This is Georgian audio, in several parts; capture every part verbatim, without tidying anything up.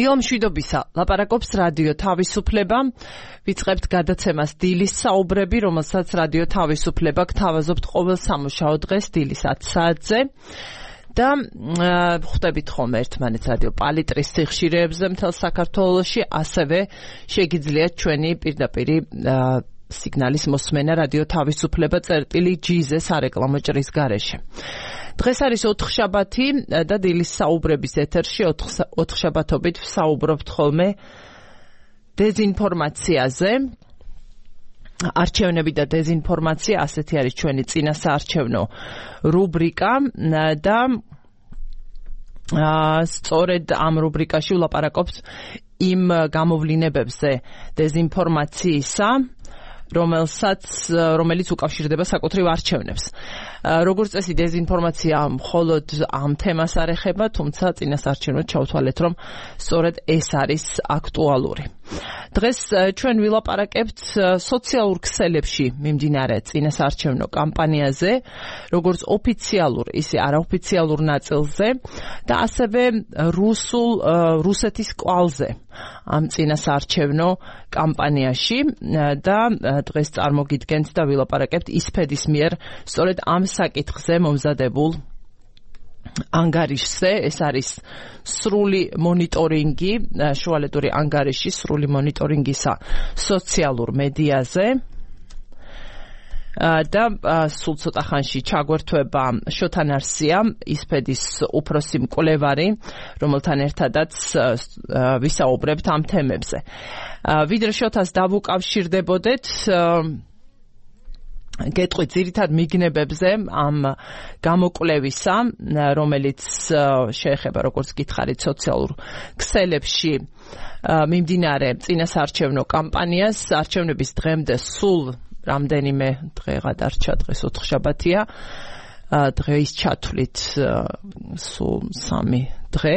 დილო მშვიდობისა, ლაპარაკობს რადიო თავისუფლება. ვიწყებთ გადაცემას დილის საუბრები, რომელსაც რადიო თავისუფლება გთავაზობთ ყოველ სამუშაო დღეს დილის ათი საათზე. და ხვდებით ხოლმე ერთმანეთს რადიო პალიტრის სიხშირეებზე მთელ საქართველოში, ასევე შეგიძლიათ ჩვენი პირდაპირი სიგნალის მოსმენა რადიო თავისუფლება წერტილი ჯიზე სარეკლამო ჭრის გარეშე. დღეს არის ოთხშაბათი და დილის საუბრების ეთერში ოთხშაბათობით ვსაუბრობთ ხოლმე დეზინფორმაციაზე. არჩევნები და დეზინფორმაცია, ასეთი არის ჩვენი წინასაარჩევნო რუბრიკა და სწორედ ამ რუბრიკაში ვლაპარაკობთ იმ გამოვლინებებზე დეზინფორმაციისა, რომელსაც რომელიც უკავშირდება საკუთრივ არჩევნებს. როგორც წესი დეზინფორმაცია მხოლოდ ამ თემას არ ეხება, თუმცა წინასაარჩევნოდ ჩავთვალეთ, რომ სწორედ ეს არის აქტუალური. დღეს ჩვენ ვილაპარაკებთ სოციალურ ქსელებში მიმდინარე წინასაარჩევნო კამპანიაზე, როგორც ოფიციალურ, ისე არაოფიციალურ ნაწილზე და ასევე რუსულ რუსეთის კვალზე ამ წინასაარჩევნო კამპანიაში და დღეს წარმოგიდგენთ და ვილაპარაკებთ ისფედის მიერ სწორედ ამ საკითხზე მომზადებულ ანგარიშზე. ეს არის სრული მონიტორინგი, შუალედური ანგარიში სრული მონიტორინგისა სოციალურ მედიაზე და სულ ცოტა ხანში ჩაგვერთვება შოთან არსია, ისფედის უფროსი მკვლევარი, რომელთან ერთადაც ვისაუბრებთ ამ თემებზე. ვიდრე შოთას დავუკავშირდებოდეთ, გეტყვით ძირითად მიგნებებზე ამ გამოკვლევისა, რომელიც შეეხება, როგორც გითხარით, სოციალურ ქსელებში მიმდინარე წინასაარჩევნო კამპანიას. არჩევნების დღემდე სულ რამდენიმე დღე გადარჩა, დღეს ოთხშაბათია, დღეის ჩათვლით სულ სამი დღე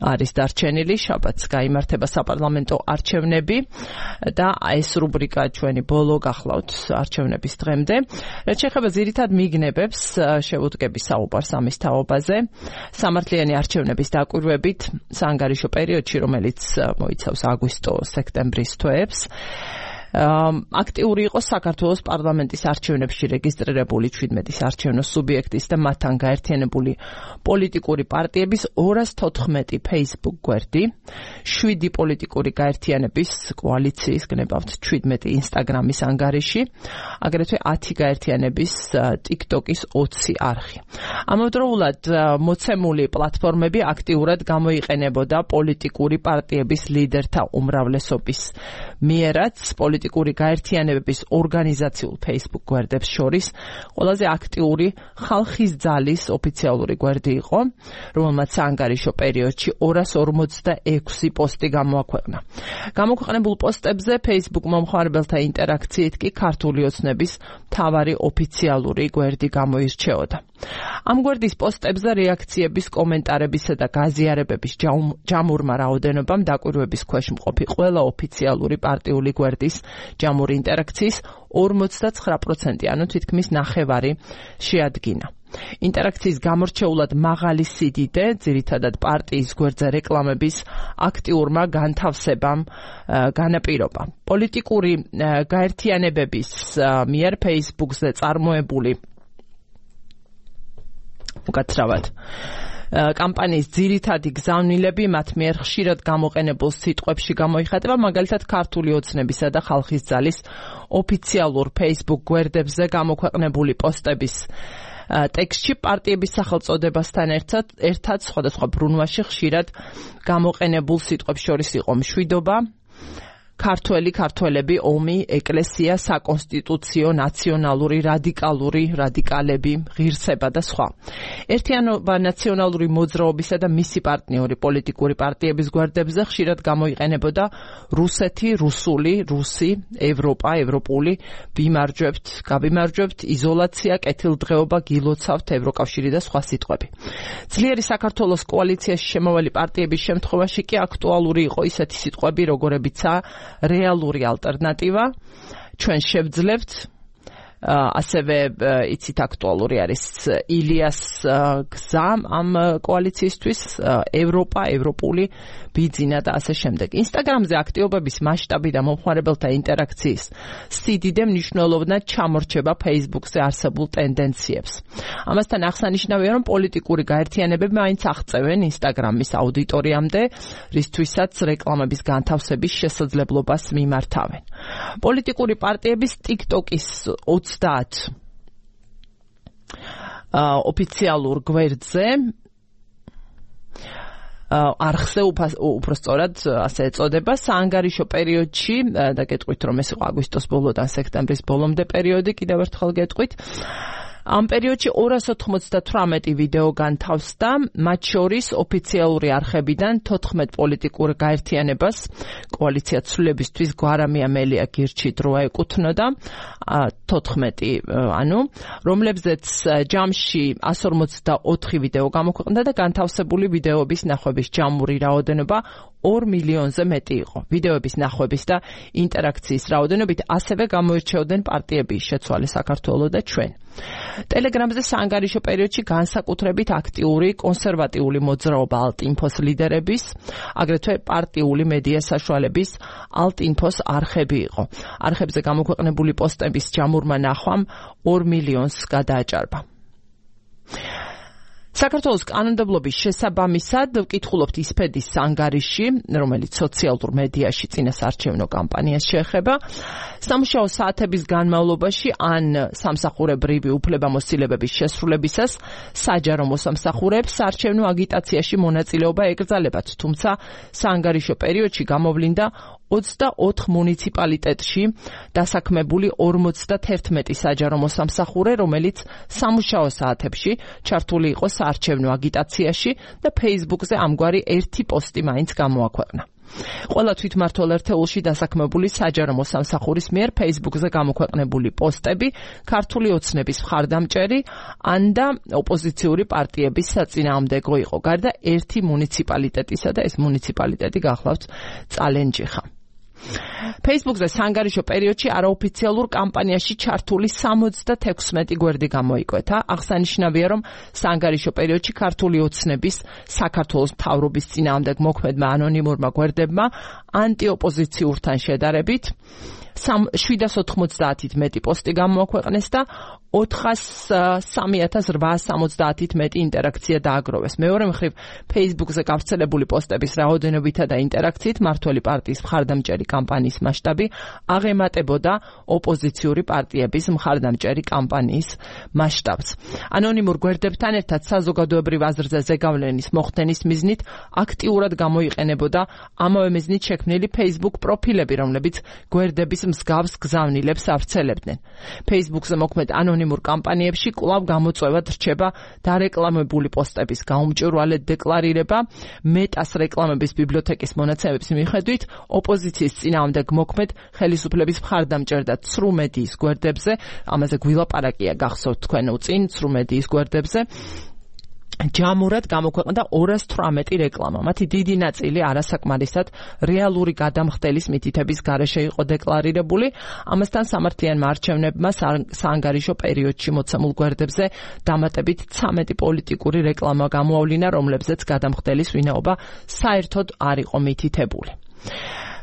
არის დარჩენილი, შაბათს გაიმართება საპარლამენტო არჩევნები და ეს რუბრიკა ჩვენი ბოლო გახლავთ არჩევნების დღემდე. რაც შეეხება ძირითად მიგნებებს, შევუდგები საუბარს ამის თაობაზე. სამართლიანი არჩევნების დაკვირვებით საანგარიშო პერიოდში, რომელიც მოიცავს აგვისტო-სექტემბრის თვეებს, აქტიური იყო საქართველოს პარლამენტის არჩევნებში რეგისტრირებული ჩვიდმეტი საარჩევნო სუბიექტის და მათთან გაერთიანებული პოლიტიკური პარტიების ორას თოთხმეტი Facebook გვერდი, შვიდი პოლიტიკური გაერთიანების კოალიციის, გნებავთ ჩვიდმეტი Instagram-ის ანგარიში, აგრეთვე ათი გაერთიანების TikTok-ის ოცი არხი. ამავდროულად მოცემული პლატფორმები აქტიურად გამოიყენებოდა პოლიტიკური პარტიების ლიდერთა უმრავლესობის მიერაც. პოლიტიკური გაერთიანებების ორგანიზაციულ Facebook გვერდებს შორის ყველაზე აქტიური ხალხის ძალის ოფიციალური გვერდი იყო, რომელმაც საანგარიშო პერიოდში ორას ორმოცდაექვსი პოსტი გამოაქვეყნა. გამოქვეყნებულ პოსტებზე Facebook მომხმარებელთა ინტერაქციით კი ქართული ოცნების მთავარი ოფიციალური გვერდი გამოირჩეოდა. ამ გვერდის პოსტებზე რეაქციების, კომენტარებისა და გაზიარებების ჯამურმა რაოდენობამ დაკვირვების ქვეშ მყოფი ყველა ოფიციალური პარტიული გვერდის ჯამური ინტერაქციის ორმოცდაცხრა პროცენტი, ანუ თითქმის ნახევარი შეადგინა. ინტერაქციის გამორჩეულად მაღალი სიდიდე, ძირითადად პარტიის გვერდზე რეკლამების აქტიურმა განთავსებამ განაპირობა. პოლიტიკური გაერთიანებების მიერ Facebook-ზე წარმოებული უკაცრავად კამპანიის ძირითადი გზავნილები მათ მიერ ხშირად გამოყენებულ სიტყვებში გამოიხატება, მაგალითად ქართული ოცნებისა და ხალხის ძალის ოფიციალურ Facebook გვერდებზე გამოქვეყნებული პოსტების ტექსტში პარტიების სახელწოდებასთან ერთად ერთად სხვადასხვა ბრუნვაში ხშირად გამოყენებულ სიტყვებს შორის იყო მშვიდობა, ქართველი, ქართველები, ომი, ეკლესია, საკონსტიტუციო, ნაციონალური, რადიკალური, რადიკალები, ღირსება და სხვა. ერთიანობა ნაციონალური მოძრაობისა და მისი პარტნიორი პოლიტიკური პარტიების გვერდებზე ხშირად გამოიყენებოდა რუსეთი, რუსული, რუსი, ევროპა, ევროპული, ვიმარჯვებთ, გავიმარჯვებთ, იზოლაცია, კეთილდღეობა, გილოცავთ, ევროკავშირი და სხვა სიტყვები. ძლიერი საქართველოს კოალიციაში შემავალი პარტიების შემთხვევაში კი აქტუალური იყო ისეთი სიტყვები, როგორებიცაა რეალური ალტერნატივა, ჩვენ შევძლებთ, ასევე იცით აქტუალური არის ილიას გზა ამ კოალიციისთვის, ევროპა, ევროპული ბიძინა და ასე შემდეგ. ინსტაგრამზე აქტიობების მასშტაბი და მომხმარებელთა ინტერაქციის სიდიდე მნიშვნელოვნად ჩამორჩება Facebook-ზე არსებულ ტენდენციებს. ამასთან აღსანიშნავია, რომ პოლიტიკური გაერთიანებები მაინც აღწევენ ინსტაგრამის აუდიტორიამდე, რისთვისაც რეკლამების განთავსების შესაძლებლობას მიმართავენ. პოლიტიკური პარტიების TikTok-ის ოცდაათ ოფიციალურ გვერდზე არხზე უпростоრად ასე ეწოდება საანგარიშო პერიოდში და გეტყვით რომ ეს იყო აგვისტოს ბოლოდან სექტემბრის ბოლომდე პერიოდი, კიდევ ერთხელ გეტყვით. ამ პერიოდში ორას ოთხმოცდათვრამეტი ვიდეო განთავსდა, მათ შორის ოფიციალური არხებიდან თოთხმეტ პოლიტიკურ გაერთიანებას კოალიცია ცვლილებისთვის გვარამია მელია გირჩი დროა ეკუთვნოდა, თოთხმეტი ანუ, რომლებზეც ჯამში ასი ორმოცდაოთხი ვიდეო გამოქვეყნდა და განთავსებული ვიდეოების ნახვების ჯამური რაოდენობა ორ მილიონზე მეტი იყო. ვიდეოების ნახვების და ინტერაქციის რაოდენობით ასევე გამოირჩეოდნენ პარტიები შეცვალე საქართველო და ჩვენ. ტელეგრამზე საანგარიშო პერიოდში განსაკუთრებით აქტიური კონსერვატიული მოძრაობა ალტ-ინფოს ლიდერების, აგრეთვე პარტიული მედია საშუალების ალტ-ინფოს არხები იყო. არხებზე გამოქვეყნებული პოსტების ჯამურმა ნახვამ ორ მილიონს გადააჭარბა. საქართველოს კანონმდებლობის შესაბამისად ვკითხულობთ ისფედის ანგარიში, რომელიც სოციალურ მედიაში წინასარჩევნო კამპანიას შეეხება. სამუშაო საათების განმავლობაში ან სამსახურებრივი უფლებამოსილებების შესრულებისას საჯარო მოსამსახურეებს საარჩევნო აგიტაციაში მონაწილეობა ეკრძალებათ, თუმცა საანგარიშო პერიოდში გამოვლინდა ოცდაოთხ მუნიციპალიტეტში დასაქმებული ორმოცდათერთმეტი საჯარო მოსამსახურე, რომელიც სამუშაო საათებში ჩართული იყო საარჩევნო აგიტაციაში და Facebook-ზე ამგვარი ერთი პოსტი მაინც გამოაქვეყნა. ყველა თვითმმართველ ერთეულში დასაქმებული საჯარო მოსამსახურის მიერ Facebook-ზე გამოქვეყნებული პოსტები ქართული ოცნების მხარდამჭერი ან და ოპოზიციური პარტიების საწინააღმდეგო იყო, გარდა ერთი მუნიციპალიტეტისა და ეს მუნიციპალიტეტი გახლავთ წალენჯიხა. Facebook-ზე საანგარიშო პერიოდში არაოფიციალურ კამპანიაში ჩართული სამოცდათექვსმეტი გვერდი გამოიკვეთა. აღსანიშნავია, რომ საანგარიშო პერიოდში ქართული ოცნების საქართველოს მთავრობის წინააღმდეგ მოქმედმა ანონიმურმა გვერდებმა ანტიოპოზიციურთან შედარებით შვიდას ოთხმოცდაათით მეტი პოსტი გამოაქვეყნეს და ოთხასსამი ათას რვაას სამოცდაათით მეტი ინტერაქცია დააგროვეს. მეორე მხრივ, Facebook-ზე გავრცელებული პოსტების რაოდენობითა და ინტერაქციით მართველი პარტიის მხარდამჭერი კამპანიის მასშტაბი აღემატებოდა ოპოზიციური პარტიების მხარდამჭერი კამპანიის მასშტაბს. ანონიმურ გვერდებთან ერთად საზოგადოებრივ აზრზე ზეგავლენის მოხდენის მიზნით აქტიურად გამოიყენებოდა ამავე მიზნით შექმნილი Facebook პროფილები, რომლებიც გვერდების მსგავს გზავნილებს ავრცელებდნენ. Facebook-ზე მოქმედ ანონიმურ კამპანიებში კვლავ გამოწვევად რჩება დარეკლამებული პოსტების გაუმჭვირვალედ დეკლარირება. მეტას რეკლამების ბიბლიოთეკის მონაცემების მიხედვით, ოპოზიციის წინააღმდეგ მოქმედ ხელისუფლების მხარდამჭერ და ცრუ მედიის გვერდებზე, ამაზე გვილაპარაკია გახსოვთ თქვენ უწინ ცრუ მედიის გვერდებზე, ჯამურად გამოქვეყნდა ორას თვრამეტი რეკლამა. მათი დიდი ნაწილი არასაკმარისად რეალური გადამხდელის მითითების გარეშე იყო დეკლარირებული. ამასთან სამართლიანმა არჩევნებმა საანგარიშო პერიოდში მოცემულ გვერდებზე დამატებით ცამეტი პოლიტიკური რეკლამა გამოავლინა, რომლებზეც გადამხდელის ვინაობა საერთოდ არ იყო მითითებული.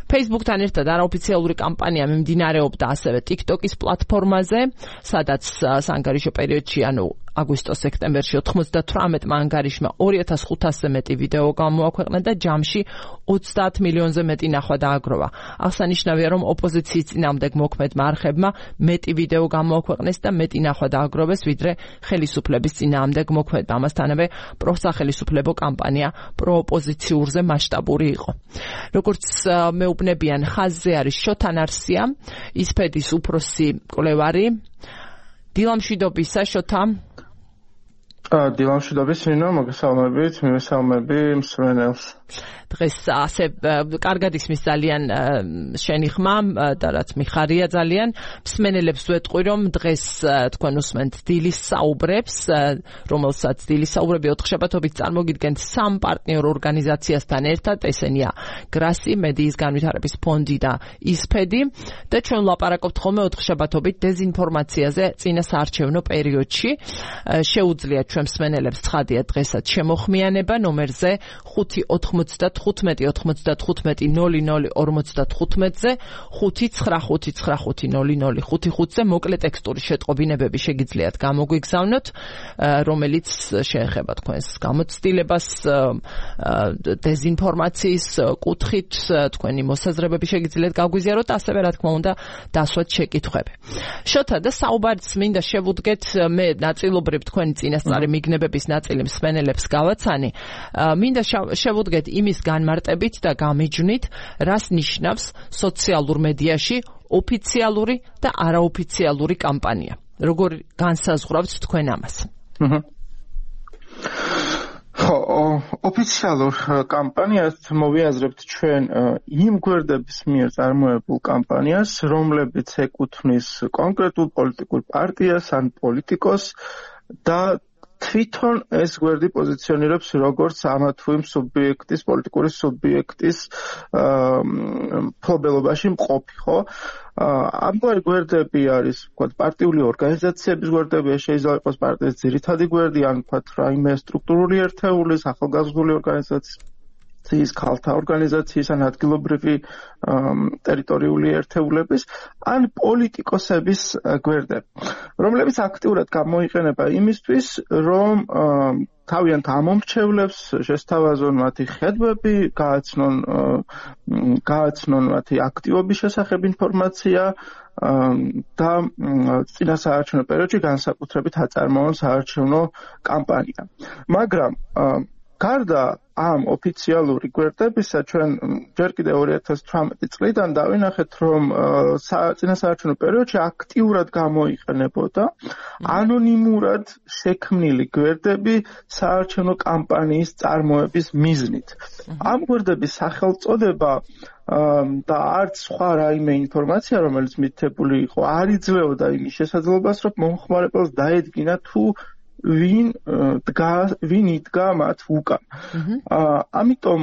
Facebook-თან ერთად არაოფიციალური კამპანია მიმდინარეობდა ასევე TikTok-ის პლატფორმაზე, სადაც საანგარიშო პერიოდში, ანუ აგვისტოს-სექტემბერში ოთხმოცდათვრამეტმა ანგარიშმა ორი ათას ხუთასზე მეტი ვიდეო გამოაქვეყნა და ჯამში ოცდაათ მილიონზე მეტი ნახვა დააგროვა. აღსანიშნავია, რომ ოპოზიციის წინააღმდეგ მოქმედმა არხებმა მეტი ვიდეო გამოაქვეყნეს და მეტი ნახვა დააგროვეს, ვიდრე ხელისუფლების წინააღმდეგ მოქმედმა. ამასთანავე პროსახელისუფლებო კამპანია პროოპოზიციურზე მასშტაბური იყო. როგორც მეუბნებიან, ხაზზე არის შოთან არსია, ისფედის უფროსი მკვლევარი, დილამშვიდობისა შოთა. დილამშვიდობის ნინო, მოგესალმებით, მივესალმები მსმენელს. დღეს ასე კარგად ისმის ძალიან შენი ხმა და რაც მიხარია ძალიან. მსმენელებს ვეტყვი, რომ დღეს თქვენ უსმენთ დილის საუბრებს, რომელსაც დილის საუბრები ოთხშაბათობით წარმოგიდგენთ სამ პარტნიორ ორგანიზაციასთან ერთად, ესენია გრასი, მედიის განვითარების ფონდი და ისფედი და ჩვენ ვლაპარაკობთ ხოლმე ოთხშაბათობით დეზინფორმაციაზე წინასაარჩევნო პერიოდში. შეუძლიათ ჩვენ მსმენელებს ცხადია დღესაც შემოხმიანება ნომერზე ხუთი ოთხმოცდათხუთმეტი ოთხმოცდათხუთმეტი ნული ნული ორმოცდათხუთმეტზე ხუთი ცხრა ხუთი ცხრა ხუთი ნული ნული ხუთი ხუთზე მოკლე ტექსტური შეტყობინებები შეგიძლიათ გამოგვიგზავნოთ, რომელიც შეეხება თქვენს გამოცდილებას დეზინფორმაციის კუთხით, თქვენი მოსაზრებები შეგიძლიათ გაგვიზიაროთ, ასევე რა თქმა უნდა დასვათ შეკითხვები. შოთა და საუბარიც მინდა შევუდგეთ, მე ნაწილობრივ თქვენი წინასწარი მიგნებების ნაწილი მსმენელებს გავაცანი, მინდა შევუდგეთ იმის განმარტებით და გამიჯვნით, რას ნიშნავს სოციალურ მედიაში ოფიციალური და არაოფიციალური კამპანია. როგორ განსაზღვრავთ თქვენ ამას? ხო, ოფიციალურ კამპანიას მოვიაზრებთ ჩვენ იმ გვერდების მიერ წარმოებულ კამპანიას, რომლებიც ეკუთვნის კონკრეტულ პოლიტიკურ პარტიას ან პოლიტიკოს და თვითონ ეს გვერდი პოზიციონირებს როგორც ამა თუ იმ სუბიექტის, პოლიტიკური სუბიექტის მფლობელობაში მყოფი, ხო? ამგვარი გვერდები არის, ვთქვათ, პარტიული ორგანიზაციების გვერდები, შეიძლება იყოს პარტიის ძირითადი გვერდი, ან ვთქვათ, რაიმე სტრუქტურული ერთეულის, ახალგაზრდული ორგანიზაციის, ქალთა ორგანიზაციის ან ადგილობრივი ტერიტორიული ერთეულების, ან პოლიტიკოსების გვერდები, რომლებიც აქტიურად გამოიყენება იმისთვის, რომ თავიანთ ამომრჩევლებს შესთავაზონ მათი ხედვები, გააცნონ გააცნონ მათი აქტივობის შესახებ ინფორმაცია და წინასაარჩევნო პერიოდში განსაკუთრებით აწარმოონ საარჩევნო კამპანია. მაგრამ გარდა ამ ოფიციალური გვერდებისა, ჩვენ ჯერ კიდევ ორი ათას თვრამეტი წლიდან დავინახეთ, რომ წინასაარჩევნო პერიოდში აქტიურად გამოიყენებოდა ანონიმურად შექმნილი გვერდები საარჩევნო კამპანიის წარმოების მიზნით. ამ გვერდების სახელწოდება და არც სხვა რაიმე ინფორმაცია, რომელიც მითითებული იყო, არ იძლეოდა იმის შესაძლებლობას, რომ მომხმარებელს დაედგინა თუ ვინ დგა ვინ იდგა მათ უკან. ამიტომ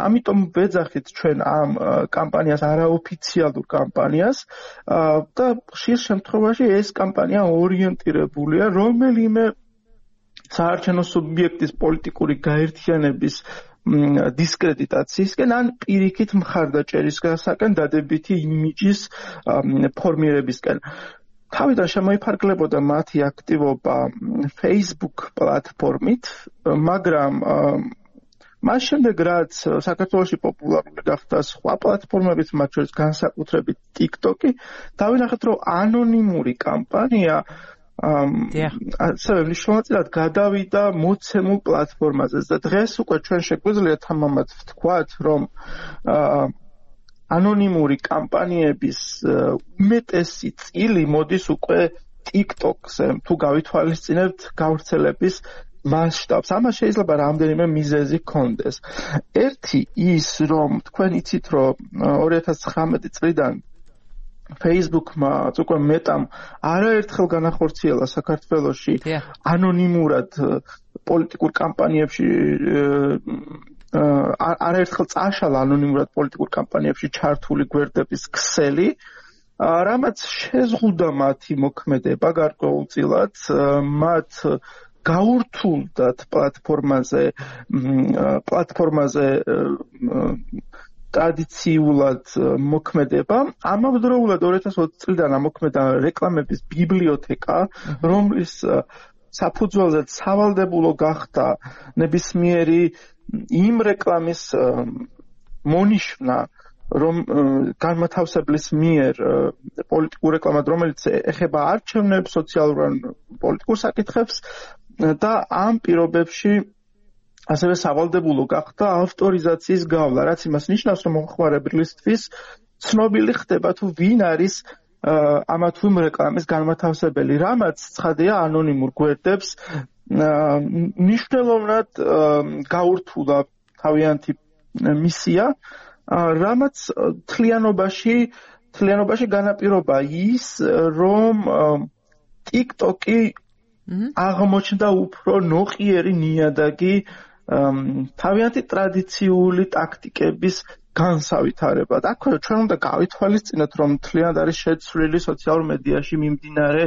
ამიტომ ვეძახით ჩვენ ამ კამპანიას არაოფიციალურ კამპანიას და ხშირ შემთხვევაში ეს კამპანია ორიენტირებულია რომელიმე საარჩევნო სუბიექტის პოლიტიკური გაერთიანების დისკრედიტაციისკენ ან პირიქით მხარდაჭერისგან დადებითი იმიჯის ფორმირებისკენ. თავიდან შემოიფარგლებოდა მათი აქტივობა Facebook პლატფორმით, მაგრამ მას შემდეგ რაც საქართველოში პოპულარული გახდა სხვა პლატფორმებიც, მათ შორის განსაკუთრებით TikTok-ი, დავინახეთ, რომ ანონიმური კამპანია ასევე მნიშვნელოვნად გადავიდა მოცემულ პლატფორმაზე და დღეს უკვე ჩვენ შეგვიძლია თამამად ვთქვათ, რომ ანონიმური კამპანიების უმეტესი წილი მოდის უკვე TikTok-ზე, თუ გავითვალისწინებთ გავრცელების მასშტაბს. ამას შეიძლება რამდენიმე მიზეზი ჰქონდეს. ერთი ის, რომ თქვენ იცით, რომ ორი ათას ცხრამეტი წლიდან Facebook-მა უკვე მეტამ არაერთხელ განახორციელა საქართველოში ანონიმურად პოლიტიკურ კამპანიებში არაერთხელ წაშალა ანონიმურად პოლიტიკურ კამპანიებში ჩართული გვერდების ქსელი, რამაც შეზღუდა მათი მოქმედება გარკვეულწილად, მათ გაურთულდათ პლატფორმაზე პლატფორმაზე ტრადიციულად მოქმედება. ამავდროულად ორი ათას ოცი წლიდან ამოქმედა რეკლამების ბიბლიოთეკა, რომლის საფუძველზეც სავალდებულო გახდა ნებისმიერი იმ რეკლამის მონიშნა, რომ განმათავსებლის მიერ პოლიტიკურ რეკლამად, რომელიც ეხება არჩევნებს, სოციალურ ან პოლიტიკურ საკითხებს და ამ პირობებში ასევე სავალდებულო გახდა ავტორიზაციის გავლა, რაც იმას ნიშნავს, რომ მომხმარებლისთვის ცნობილი ხდება თუ ვინ არის ამა თუ იმ რეკლამის განმათავსებელი, რამაც ცხადია ანონიმურ გვერდებს მნიშვნელოვნად გაურთულა თავიანთი მისია, რამაც თლიანობაში თლიანობაში განაპირობა ის, რომ TikTok-ი აღმოჩნდა უფრო ნოყიერი ნიადაგი თავიანთი ტრადიციული ტაქტიკების განსავითარებლად. აქვე ჩვენ უნდა გავითვალისწინოთ, რომ თლიანად არის შეცვლილი სოციალურ მედიაში მიმდინარე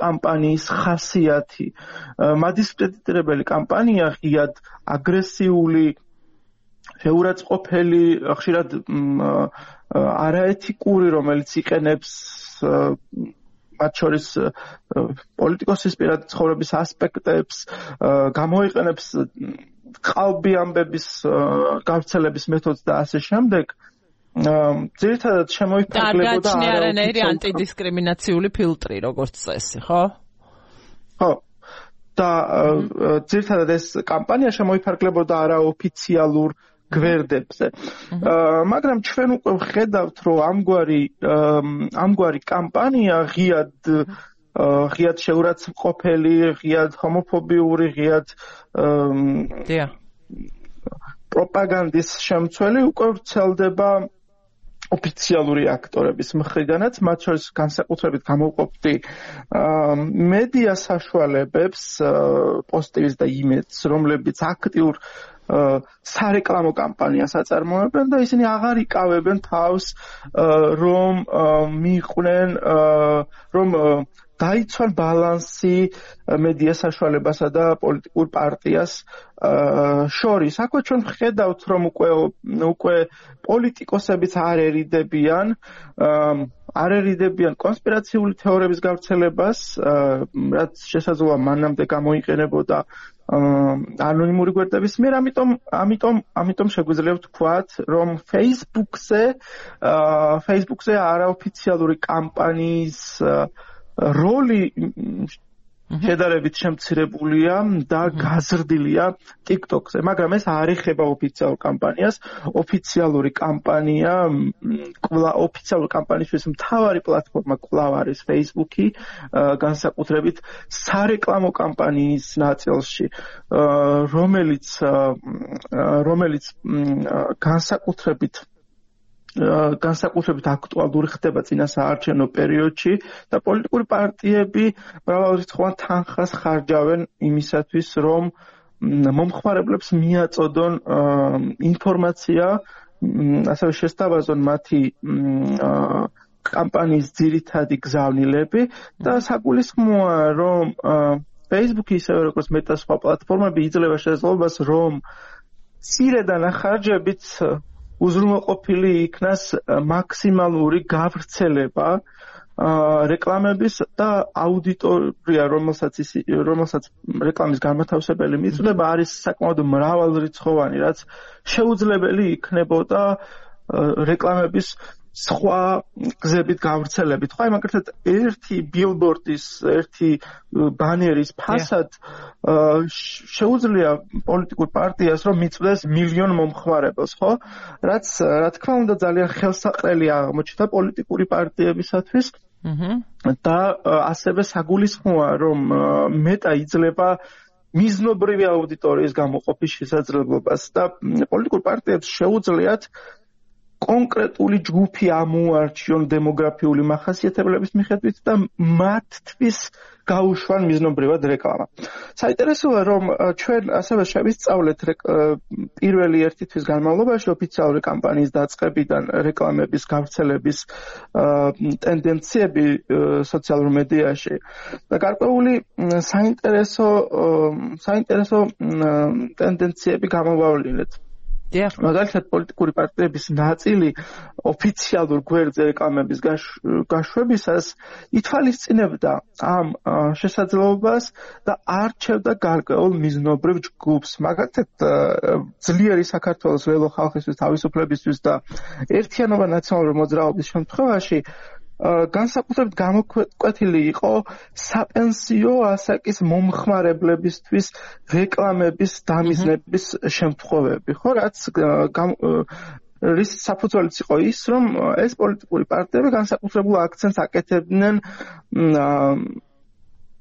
კამპანიის ხასიათი. მადისკრედიტირებელი კამპანია ღიად აგრესიული, შეურაცხყოფელი, ხშირად არაეთიკური, რომელიც იყენებს მათ შორის პოლიტიკოსის პირადი ცხოვრების ასპექტებს, გამოიყენებს ყალბი ამბების გავრცელების მეთოდს და ასე შემდეგ. ძირითადად შემოიფარგლებოდა არანაირი ანტიდისკრიმინაციული ფილტრი, როგორც წესი, ხო? ხო. და ძირითადად ეს კამპანია შემოიფარგლებოდა არაოფიციალურ გვერდებზე. მაგრამ ჩვენ უკვე ვხედავთ, რომ ამგვარი ამგვარი კამპანია ღიად ღიად შეურაცხყოფელი, ღიად ჰომოფობიური, ღიად პროპაგანდის შემცველი უკვე ვრცელდება ოფიციალური აქტორების მხრიდანაც, მათ შორის განსაკუთრებით გამოვყოფდი მედია საშუალებებს, პოსტივის და იმედს, რომლებიც აქტიურ სარეკლამო კამპანიას აწარმოებენ და ისინი აღარ იკავებენ თავს, რომ მიიყვნენ, რომ დაიცვან ბალანსი მედია საშუალებასა და პოლიტიკურ პარტიას შორის. აქვე ჩვენ ვხედავთ, რომ უკვე უკვე პოლიტიკოსებიც არ ერიდებიან არ ერიდებიან კონსპირაციული თეორიების გავრცელებას, რაც შესაძლოა მანამდე გამოიყენებოდა ანონიმური გვერდების მიერ, ამიტომ ამიტომ ამიტომ შეგვიძლია ვთქვათ, რომ Facebook-ზე Facebook-ზე არაოფიციალური კამპანიის როლი შედარებით შემცირებულია და გაზრდილია TikTok-ზე, მაგრამ ეს არ ეხება ოფიციალურ კამპანიას. ოფიციალური კამპანია, ოფიციალური კამპანიისთვის მთავარი პლატფორმა კვლავ არის Facebook-ი, განსაკუთრებით სარეკლამო კამპანიის ნაწილში, რომელიც რომელიც განსაკუთრებით განსაკუთრებით აქტუალური ხდება წინა საარჩევნო პერიოდში და პოლიტიკური პარტიები მრავალრიცხოვან თანხას ხარჯავენ იმისათვის, რომ მომხმარებლებს მიაწოდონ ინფორმაცია, ასევე შესთავაზონ მათი კამპანიის ძირითადი გზავნილები და საგულისხმოა, რომ Facebook-ი ისევე როგორც მეტა სხვა პლატფორმები იძლევა შესაძლებლობას, რომ მცირე დანახარჯებით უზრუნველყოფილი იქნას მაქსიმალური გავრცელება რეკლამების და აუდიტორია, რომელსაც რომელსაც რეკლამის განმათავსებელი მიწვდება, არის საკმაოდ მრავალრიცხოვანი, რაც შეუძლებელი იქნებოდა რეკლამების სხვა გზებით გავრცელებით. ხო, მაგალითად, ერთი ბილბორდის, ერთი ბანერის ფასად შეუძლია პოლიტიკურ პარტიას, რომ მიწვდეს მილიონ მომხმარებელს, ხო? რაც, რა თქმა უნდა, ძალიან ხელსაყრელი აღმოჩნდა პოლიტიკური პარტიებისათვის. და ასევე საგულისხმოა, რომ მეტა იძლევა მიზნობრივი აუდიტორიის გამოყოფის შესაძლებლობას და პოლიტიკურ პარტიებს შეუძლიათ კონკრეტული ჯგუფი ამოარჩიონ დემოგრაფიული მახასიათებლების მიხედვით და მათთვის გაუშვან მიზნობრივად რეკლამა. საინტერესოა, რომ ჩვენ ასევე შევისწავლეთ პირველი ერთი თვის განმავლობაში ოფიციალური კამპანიის დაწყებიდან რეკლამების გავრცელების ტენდენციები სოციალურ მედიაში და გარკვეული საინტერესო საინტერესო ტენდენციები გამოვავლინეთ. მაგალითად, პოლიტიკური პარტიების ნაწილი ოფიციალურ გვერდზე რეკლამების გაშვებისას ითვალისწინებდა ამ შესაძლებლობას და არჩევდა გარკვეულ მიზნობრივ ჯგუფს. მაგალითად, ძლიერი საქართველოს ველო ხალხისთვის თავისუფლებისთვის და ერთიანობა ნაციონალური მოძრაობის შემთხვევაში განსაკუთრებით გამოკვეთილი იყო საპენსიო ასაკის momხმარებლებისთვის რეკლამების დამიზნების შემთხვევები, ხო, რაც რის საფუძველიც იყო ის, რომ ეს პოლიტიკური პარტიები განსაკუთრებულ აქცენტს აკეთებდნენ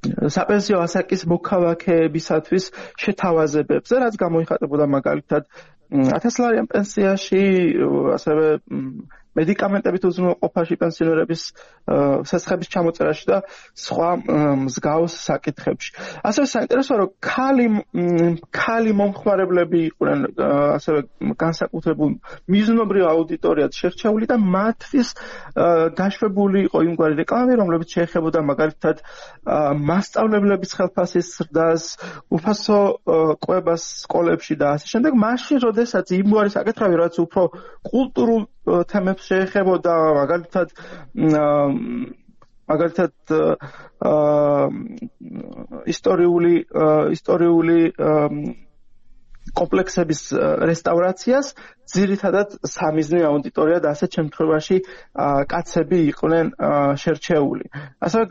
საპენსიო ასაკის მოქალაქეებისათვის შეთავაზებებზე, რაც გამოიხატებოდა მაგალითად ათასლარიან პენსიაში, ასევე მედიკამენტებით უზრუნველყოფაში პენსიონერების სესხების ჩამოწერაში და სხვა მსგავს საკითხებში. ასევე საინტერესოა, რომ ქალი ქალი მომხმარებლები იყვნენ ასევე განსაკუთრებულ მიზნობრივ აუდიტორიად შერჩეული და მათთვის გაშვებული იყო იმგვარი რეკლამები, რომლებიც შეეხებოდა მაგალითად მასწავლებლების ხელფასის ზრდას, უფასო კვებას სკოლებში და ასე შემდეგ. მაშინ, როდესაც იმგვარი საკითხები, რაც უფრო კულტურულ თემებს შეეხებოდა, მაგალითად მაგალითად ისტორიული ისტორიული კომპლექსების რესტავრაციას ძირითადად სამიზნე აუდიტორია და ასეთ შემთხვევაში კაცები იყვნენ შერჩეული. ასევე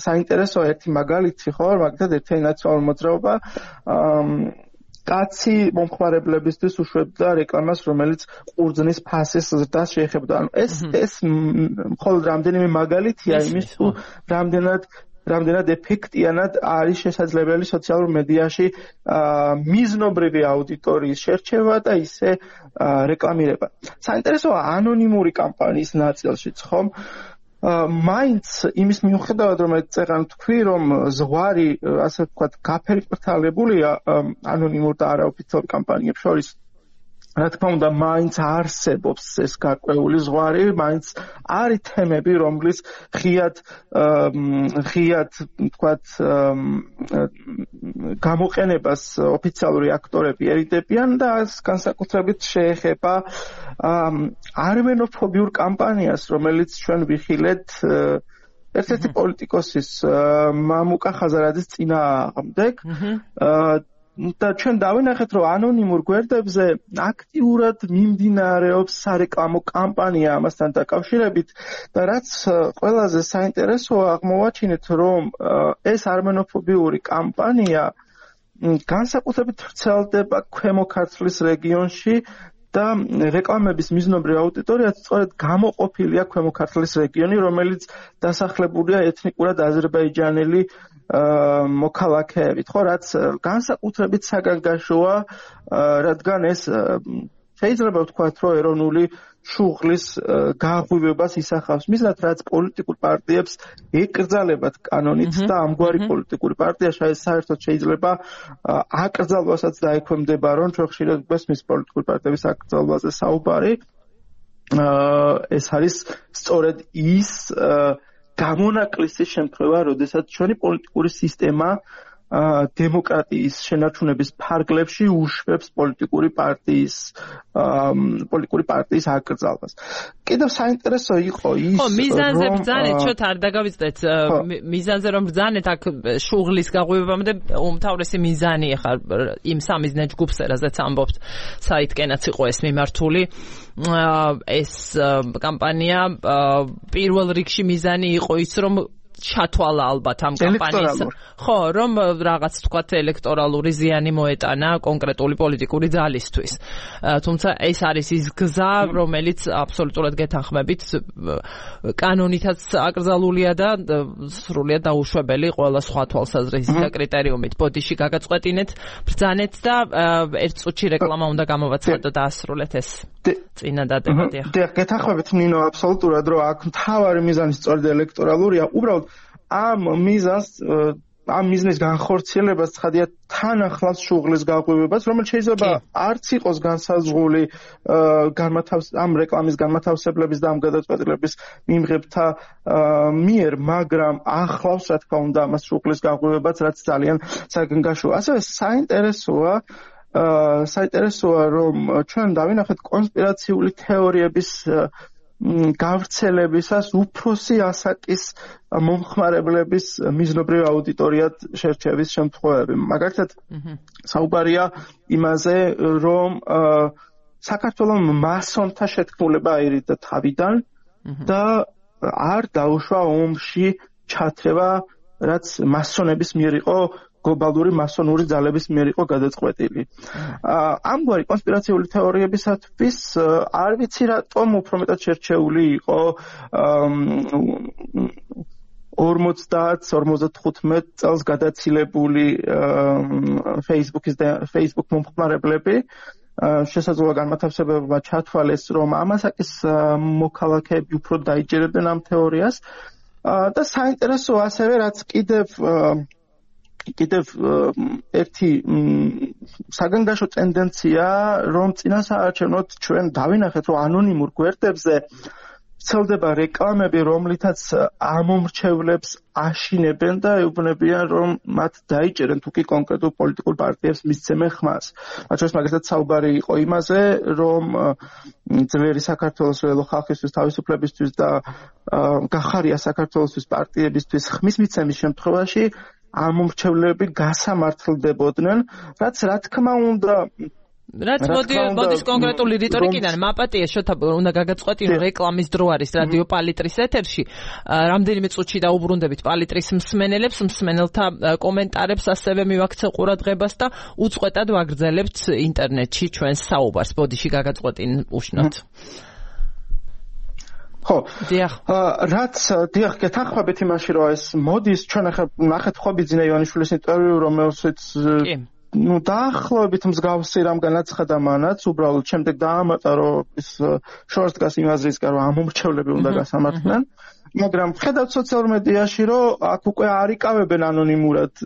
საინტერესოა ერთი მაგალითი, ხო, მაგალითად ერთიანი ნაციონალური მოძრაობა კაცი მომხმარებლებისთვის უშვებდა რეკლამას, რომელიც ყურძნის ფასის ზრდას შეეხებოდა. ანუ ეს ეს მხოლოდ რამდენიმე მაგალითია იმის, თუ რამდენად რამდენად ეფექტიანად არის შესაძლებელი სოციალურ მედიაში მიზნობრივი აუდიტორიის შერჩევა და ისე რეკლამირება. საინტერესოა ანონიმური კამპანიის ნაწილშიც, ხომ? მაინც იმის მიუხედავად, რომ წეღან თქვი, რომ ზღვარი, ასე ვთქვათ, გაფერმფრთალებულია ანონიმურ და არაოფიციალურ კამპანიებს შორის, რა თქმა უნდა, მაინც არსებობს ეს გარკვეული ზღვარი, მაინც არის თემები, რომლის ღიად ღიად ვთქვათ გამოყენებას ოფიციალური აქტორები ერიდებიან და განსაკუთრებით შეეხება არმენოფობიურ კამპანიას, რომელიც ჩვენ ვიხილეთ ერთ-ერთი პოლიტიკოსის მამუკა ხაზარაძის წინააღმდეგ. და ჩვენ დავინახეთ, რომ ანონიმურ გვერდებზე აქტიურად მიმდინარეობს სარეკლამო კამპანია ამასთან დაკავშირებით და რაც ყველაზე საინტერესოა, აღმოვაჩინეთ, რომ ეს არმენოფობიური კამპანია განსაკუთრებით ვრცელდება ქვემო ქართლის რეგიონში და რეკლამების მიზნობრივ აუდიტორიად სწორედ გამოყოფილია ქვემო ქართლის რეგიონი, რომელიც დასახლებულია ეთნიკურად აზერბაიჯანელი მოქალაქეებით, ხო, რაც განსაკუთრებით საგანგაშოა, რადგან ეს შეიძლება ვთქვათ, რომ ეროვნული შუღლის გააღვივებას ისახავს მიზნად, რაც პოლიტიკურ პარტიებს ეკრძალებათ კანონით და ამგვარი პოლიტიკური პარტია საერთოდ შეიძლება აკრძალვასაც დაექვემდებარონ. ჩვენ ხშირად გვესმის პოლიტიკური პარტიების აკრძალვაზე საუბარი. ეს არის სწორედ ის გამონაკლისის შემთხვევა, როდესაც ჩვენი პოლიტიკური სისტემა დემოკრატიის შენარჩუნების ფარგლებში უშვებს პოლიტიკური პარტიის პოლიტიკური პარტიის აკრძალვას. კიდევ საინტერესო იყო ის, რომ მიზანზე ბრძანეთ, შოთ არ დაგავიწყდეთ, მიზანზე რომ ბრძანეთ, აქ შუღლის გაღვივებამდე უმთავრესი მიზანი ხა იმ სამიზნე ჯგუფს, რაზეც ამბობთ, საითკენაც იყო ეს მიმართული. ეს კამპანია პირველ რიგში მიზანი იყო ის, რომ ჩათვალა ალბათ ამ კამპანიის, ხო, რომ რაღაც თქვათ ელექტორალური ზიანი მოეტანა კონკრეტული პოლიტიკური ძალისთვის. თუმცა ეს არის ის გზა, რომელიც აბსოლუტურად გეთანხმებით კანონითაც აკრძალულია და სრულიად დაუშვებელი ყველა სხვა თვალსაზრისით და კრიტერიუმით. ბოდიში გაგაწყვეტინეთ, ბრძანეთ და ერთ წუთში რეკლამა უნდა გამოვაცხადოთ და დაასრულეთ ეს წინა დადებადი. დიახ, გეთანხმებით ნინო, აბსოლუტურად, რომ აქ მთავარი მიზანი სწორედ ელექტორალურია. უბრალოდ ამ მიზანს ამ მიზნის განხორციელებას ცხადია თან ახლავს შუღლის გაღვივებას, რომელიც შეიძლება არც იყოს განსაზღვრული ამ რეკლამის განმათავსებლების და ამ გადაწყვეტილების მიმღებთა მიერ, მაგრამ ახლავს, რა თქმა უნდა, ამას შუღლის გაღვივებას, რაც ძალიან საგანგაშოა. ასევე საინტერესოა საინტერესოა, რომ ჩვენ დავინახეთ კონსპირაციული თეორიების გავრცელებისას უფროსი ასაკის მომხმარებლების მიზნობრივ აუდიტორიად შერჩევის შემთხვევები. მაგალითად, საუბარია იმაზე, რომ საქართველოს მასონთა შეთქმულება აირიდა თავიდან და არ დაუშვა ომში ჩათრევა, რაც მასონების მიერ იყო გლობალური მასონური ძალების მიერ იყო გადაწყვეტილი. ამგვარი კონსპირაციული თეორიებისათვის არ ვიცი რატომ უფრო მეტად შერჩეული იყო ორმოცდაათ ორმოცდათხუთმეტ წელს გადაცილებული Facebook-ის და Facebook მომხმარებლები შესაძლოა განმათავსებლებმა ჩათვალეს, რომ ამასაკის მოქალაქეები უფრო დაიჯერებდნენ ამ თეორიას და საინტერესო ასევე რაც კიდევ კიდევ ერთი საგანგაშო ტენდენცია, რომ წინასაარჩევნოდ ჩვენ დავინახეთ, რომ ანონიმურ გვერდებზე ვრცელდება რეკლამები, რომლითაც ამომრჩევლებს აშინებენ და ეუბნებიან, რომ მათ დაიჭერენ თუ კი კონკრეტულ პოლიტიკურ პარტიებს მისცემენ ხმას. მათ შორის მაგალითად საუბარი იყო იმაზე, რომ ძლიერი საქართველოს ველო ხალხისთვის თავისუფლებისთვის და გახარია საქართველოსთვის პარტიებისთვის ხმის მიცემის შემთხვევაში ამომრჩევლები გასამართლდებოდნენ, რაც რა თქმა უნდა რაც მოდის კონკრეტული რიტორიკიდან მაპატია შოთა უნდა გაგაწყვეტინო რეკლამის დრო არის რადიო პალიტრის ეთერში რამდენიმე წუთში დაუბრუნდებით პალიტრის მსმენელებს მსმენელთა კომენტარებს ასევე მივაქცევ ყურადღებას და უწყვეტად ვაგრძელებთ ინტერნეტში ჩვენს საუბარს ბოდიში გაგაწყვეტინ უშნოთ ხო რაც დიახ გეთანხმებით იმაში რომ ეს მოდის ჩვენ ახლა ნახეთ ხო ბიძინა ივანიშვილის ინტერვიუ რომელშიც ну დაახლოებით მსგავსი რამ განაცხადა მანაც უბრალოდ შემდეგ დაამატა რომ ის შორს დგას იმ აზრისკენ რომ ამომრჩევლები უნდა გასამართლდნენ მაგრამ ხედავთ სოციალურ მედიაში რომ აქ უკვე არ იკავებენ ანონიმურად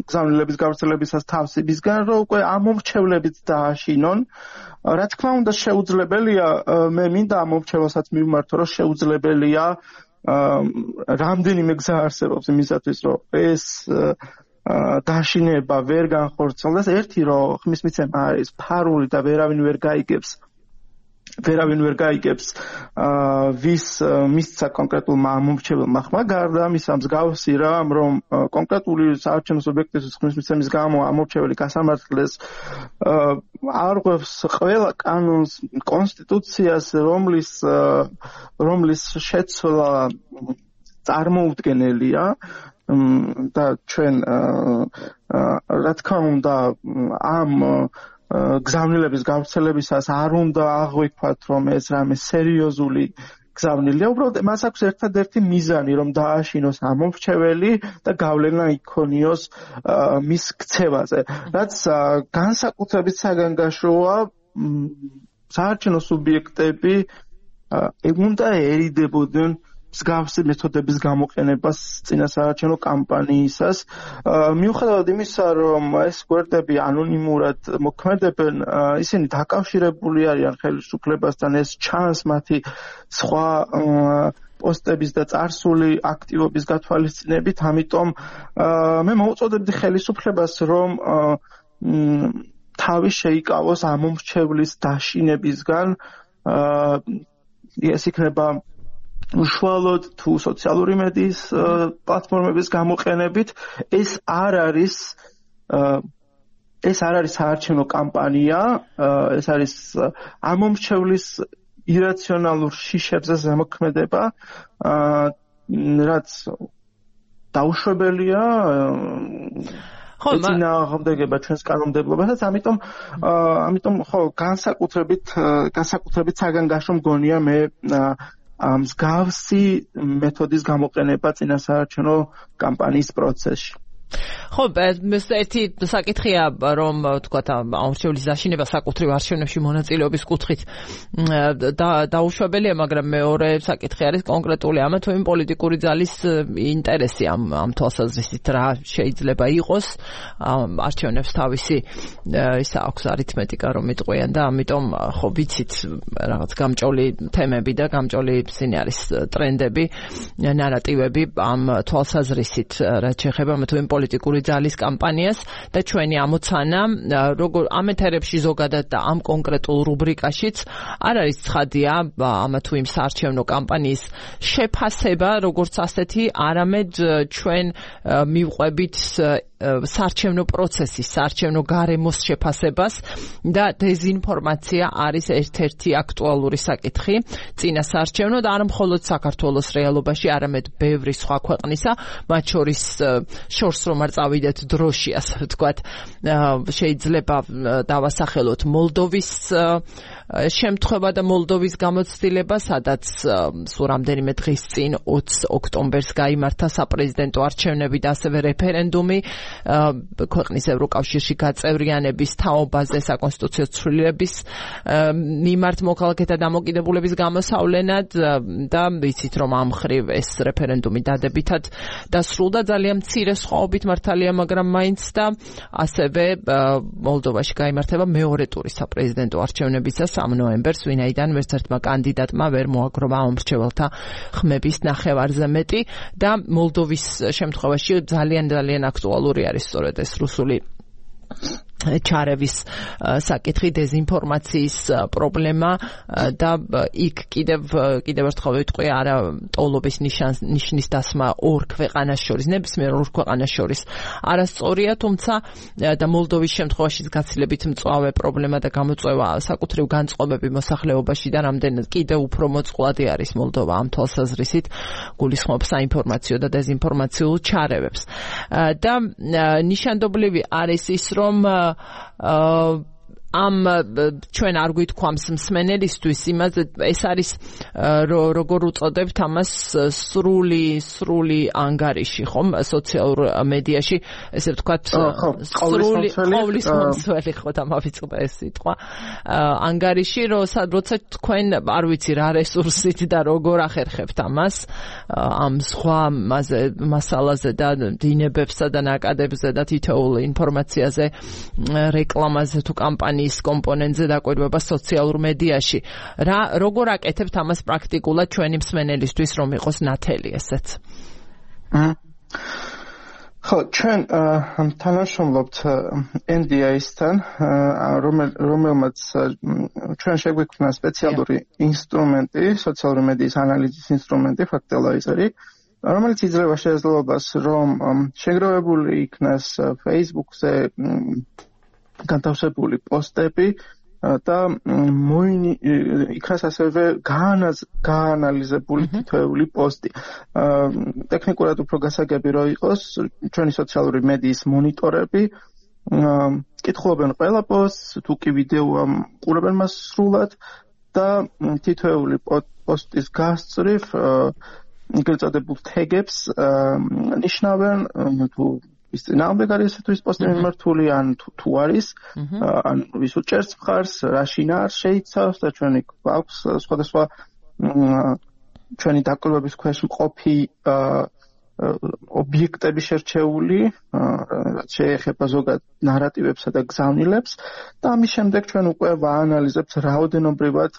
გზავნილების გავრცელებისას თავს იმისგან რომ უკვე ამომრჩევლებიც დააშინონ რა თქმა უნდა შეუძლებელია მე მინდა ამომრჩევასაც მივმართო რომ შეუძლებელია რამდენიმე გზა არსებობს იმისათვის რომ ეს დაშინება ვერ განხორციელდეს ერთი რომ ხმის მიცემა არის ფარული და ვერავინ ვერ გაიგებს ვერავინ ვერ გაიგებს ვის მისცა კონკრეტულმა ამომრჩეველმა ხმა გარდა ამისა მსგავსი რამ რომ კონკრეტული საარჩევნო სუბიექტის ხმის მიცემის გამო ამომრჩეველი გასამართლდეს არღვევს ყველა კანონს კონსტიტუციას რომლის რომლის შეცვლა წარმოუდგენელია და ჩვენ რა თქმა უნდა ამ გზავნილების გავრცელებისას არ უნდა აღვიქვათ რომ ეს რამე სერიოზული გზავნილია უბრალოდ მას აქვს ერთადერთი მიზანი რომ დააშინოს ამომრჩეველი და გავლენა იქონიოს მის ქცევაზე რაც განსაკუთრებით საგანგაშოა საარჩევნო სუბიექტები უნდა ერიდებოდნენ მსგავსი მეთოდების გამოყენებას წინასაარჩევნო კამპანიისას მიუხედავად იმისა რომ ეს გვერდები ანონიმურად მოქმედებენ ისინი დაკავშირებული არიან ხელისუფლებასთან ეს ჩანს მათი სხვა პოსტების და წარსული აქტივობის გათვალისწინებით ამიტომ მე მოუწოდებდი ხელისუფლებას რომ თავი შეიკავოს ამომრჩევლის დაშინებისგან ეს იქნება უშუალოდ თუ სოციალური მედიის პლატფორმების გამოყენებით ეს არ არის ეს არ არის საარჩევნო კამპანია ეს არის ამომრჩევლის ირაციონალურ შიშებზე ზემოქმედება რაც დაუშვებელია ხო წინააღმდეგება ჩვენს კანონმდებლობასაც ამიტომ ამიტომ ხო განსაკუთრებით განსაკუთრებით საგანგაშო მგონია მე მსგავსი მეთოდის გამოყენება წინასაარჩევნო კამპანიის პროცესში. ხო, ეს ერთი საკითხია, რომ თქვათ ამომრჩევლის დაშინება საკუთრივ არჩევნებში მონაწილეობის კუთხით დაუშვებელია, მაგრამ მეორე საკითხი არის კონკრეტული ამა თუ იმ პოლიტიკური ძალის ინტერესი ამ ამ თვალსაზრისით რა შეიძლება იყოს არჩევნებს თავისი ის აქვს არითმეტიკა რომ იტყვიან და ამიტომ ხო ვიცით რაღაც გამჭოლი თემები და გამჭოლი ისინი არის ტრენდები, ნარატივები ამ თვალსაზრისით რაც შეეხება ამა თუ იმ პოლიტიკური ძალის კამპანიას და ჩვენი ამოცანა როგორ ამ ეთერებში ზოგადად და ამ კონკრეტულ რუბრიკაშიც არ არის ცხადია ამა თუ იმ საარჩევნო კამპანიის შეფასება როგორც ასეთი არამედ ჩვენ მივყვებით საარჩევნო პროცესის, საარჩევნო გარემოს შეფასებას და დეზინფორმაცია არის ერთ-ერთი აქტუალური საკითხი წინა საარჩევნო და არა მხოლოდ საქართველოს რეალობაში, არამედ ბევრი სხვა ქვეყნისა, მათ შორის შორს რომ არ წავიდეთ დროში, ასე ვთქვათ, შეიძლება დავასახელოთ მოლდოვის შემთხვევა და მოლდოვის გამოცდილება, სადაც სულ რამდენიმე დღის წინ ოცი ოქტომბერს გაიმართა საპრეზიდენტო არჩევნები და ასევე რეფერენდუმი ქვეყნის ევროკავშირში გაწევრიანების თაობაზე საკონსტიტუციო ცვლილების მიმართ მოქალაქეთა დამოკიდებულების გამოსავლენად და ვიცით რომ ამ მხრივ ეს რეფერენდუმი დადებითად დასრულდა ძალიან მცირე სხვაობით მართალია, მაგრამ მაინც და ასევე მოლდოვაში გაიმართება მეორე ტურის საპრეზიდენტო არჩევნებისა სამი ნოემბერს, ვინაიდან ვერც ერთმა კანდიდატმა ვერ მოაგროვა მომრჩეველთა ხმების ნახევარზე მეტი და მოლდოვის შემთხვევაში ძალიან ძალიან აქტუალური არის სწორედ ეს რუსული ჩარევის საკითხი, დეზინფორმაციის პრობლემა და იქ კიდევ კიდევ ერთხელ ვიტყვი, არა ტოლობის ნიშნის დასმა ორ ქვეყანას შორის, ნებისმიერ ორ ქვეყანას შორის არასწორია, თუმცა და მოლდოვის შემთხვევაშიც გაცილებით მწვავე პრობლემა და გამოწვევა საკუთრივ განწყობები მოსახლეობაში და რამდენად კიდევ უფრო მოწყვლადი არის მოლდოვა ამ თვალსაზრისით, გულისხმობს საინფორმაციო და დეზინფორმაციულ ჩარევებს. და ნიშანდობლივი არის ის, რომ ამ ჩვენ არ გვითქვამს მსმენელისთვის იმაზე, ეს არის როგორ უწოდებთ ამას სრული სრული ანგარიში, ხომ, სოციალურ მედიაში, ესე ვთქვათ, სრული ყოვლის მომცველი, ხო, დამავიწყდა ეს სიტყვა, ანგარიში, როცა თქვენ არ ვიცი რა რესურსით და როგორ ახერხებთ ამას, ამ სხვა მასალაზე და დინებებსა და ნაკადებზე და თითოეულ ინფორმაციაზე, რეკლამაზე თუ კამპანიაზე ის კომპონენტზე დაკვირვება სოციალურ მედიაში. რა როგორ აკეთებთ ამას პრაქტიკულად ჩვენი მსმენელისთვის, რომ იყოს ნათელი ესეც? ხო, ჩვენ თანამშრომლობთ ენ დი ეი-სთან, რომელმაც ჩვენ შეგვიქმნა სპეციალური ინსტრუმენტი, სოციალური მედიის ანალიზის ინსტრუმენტი, ფაქტელაიზერი, რომელიც იძლევა შესაძლებლობას, რომ შეგროვებული იქნას Facebook-ზე განთავსებული პოსტები და იქნას ასევე გაანალიზებული თითოეული პოსტი. ტექნიკურად უფრო გასაგები რო იყოს, ჩვენი სოციალური მედიის მონიტორები კითხულობენ ყველა პოსტს, თუ კი ვიდეოა ყურებენ მას სრულად და თითოეული პოსტის გასწრიფ ეგრეთ წოდებულ თეგებს ნიშნავენ, თუ ის წინააღმდეგ არის ესეთვის პოსტი მიმართული, ან თუ არის, ან ვის უჭერს მხარს, რა შინაარს შეიცავს და ჩვენი გვაქვს სხვადასხვა ჩვენი დაკვირვების ქვეშ მყოფი ობიექტები შერჩეული, რაც შეეხება ზოგად ნარატივებსა და გზავნილებს და ამის შემდეგ ჩვენ უკვე ვაანალიზებთ რაოდენობრივად,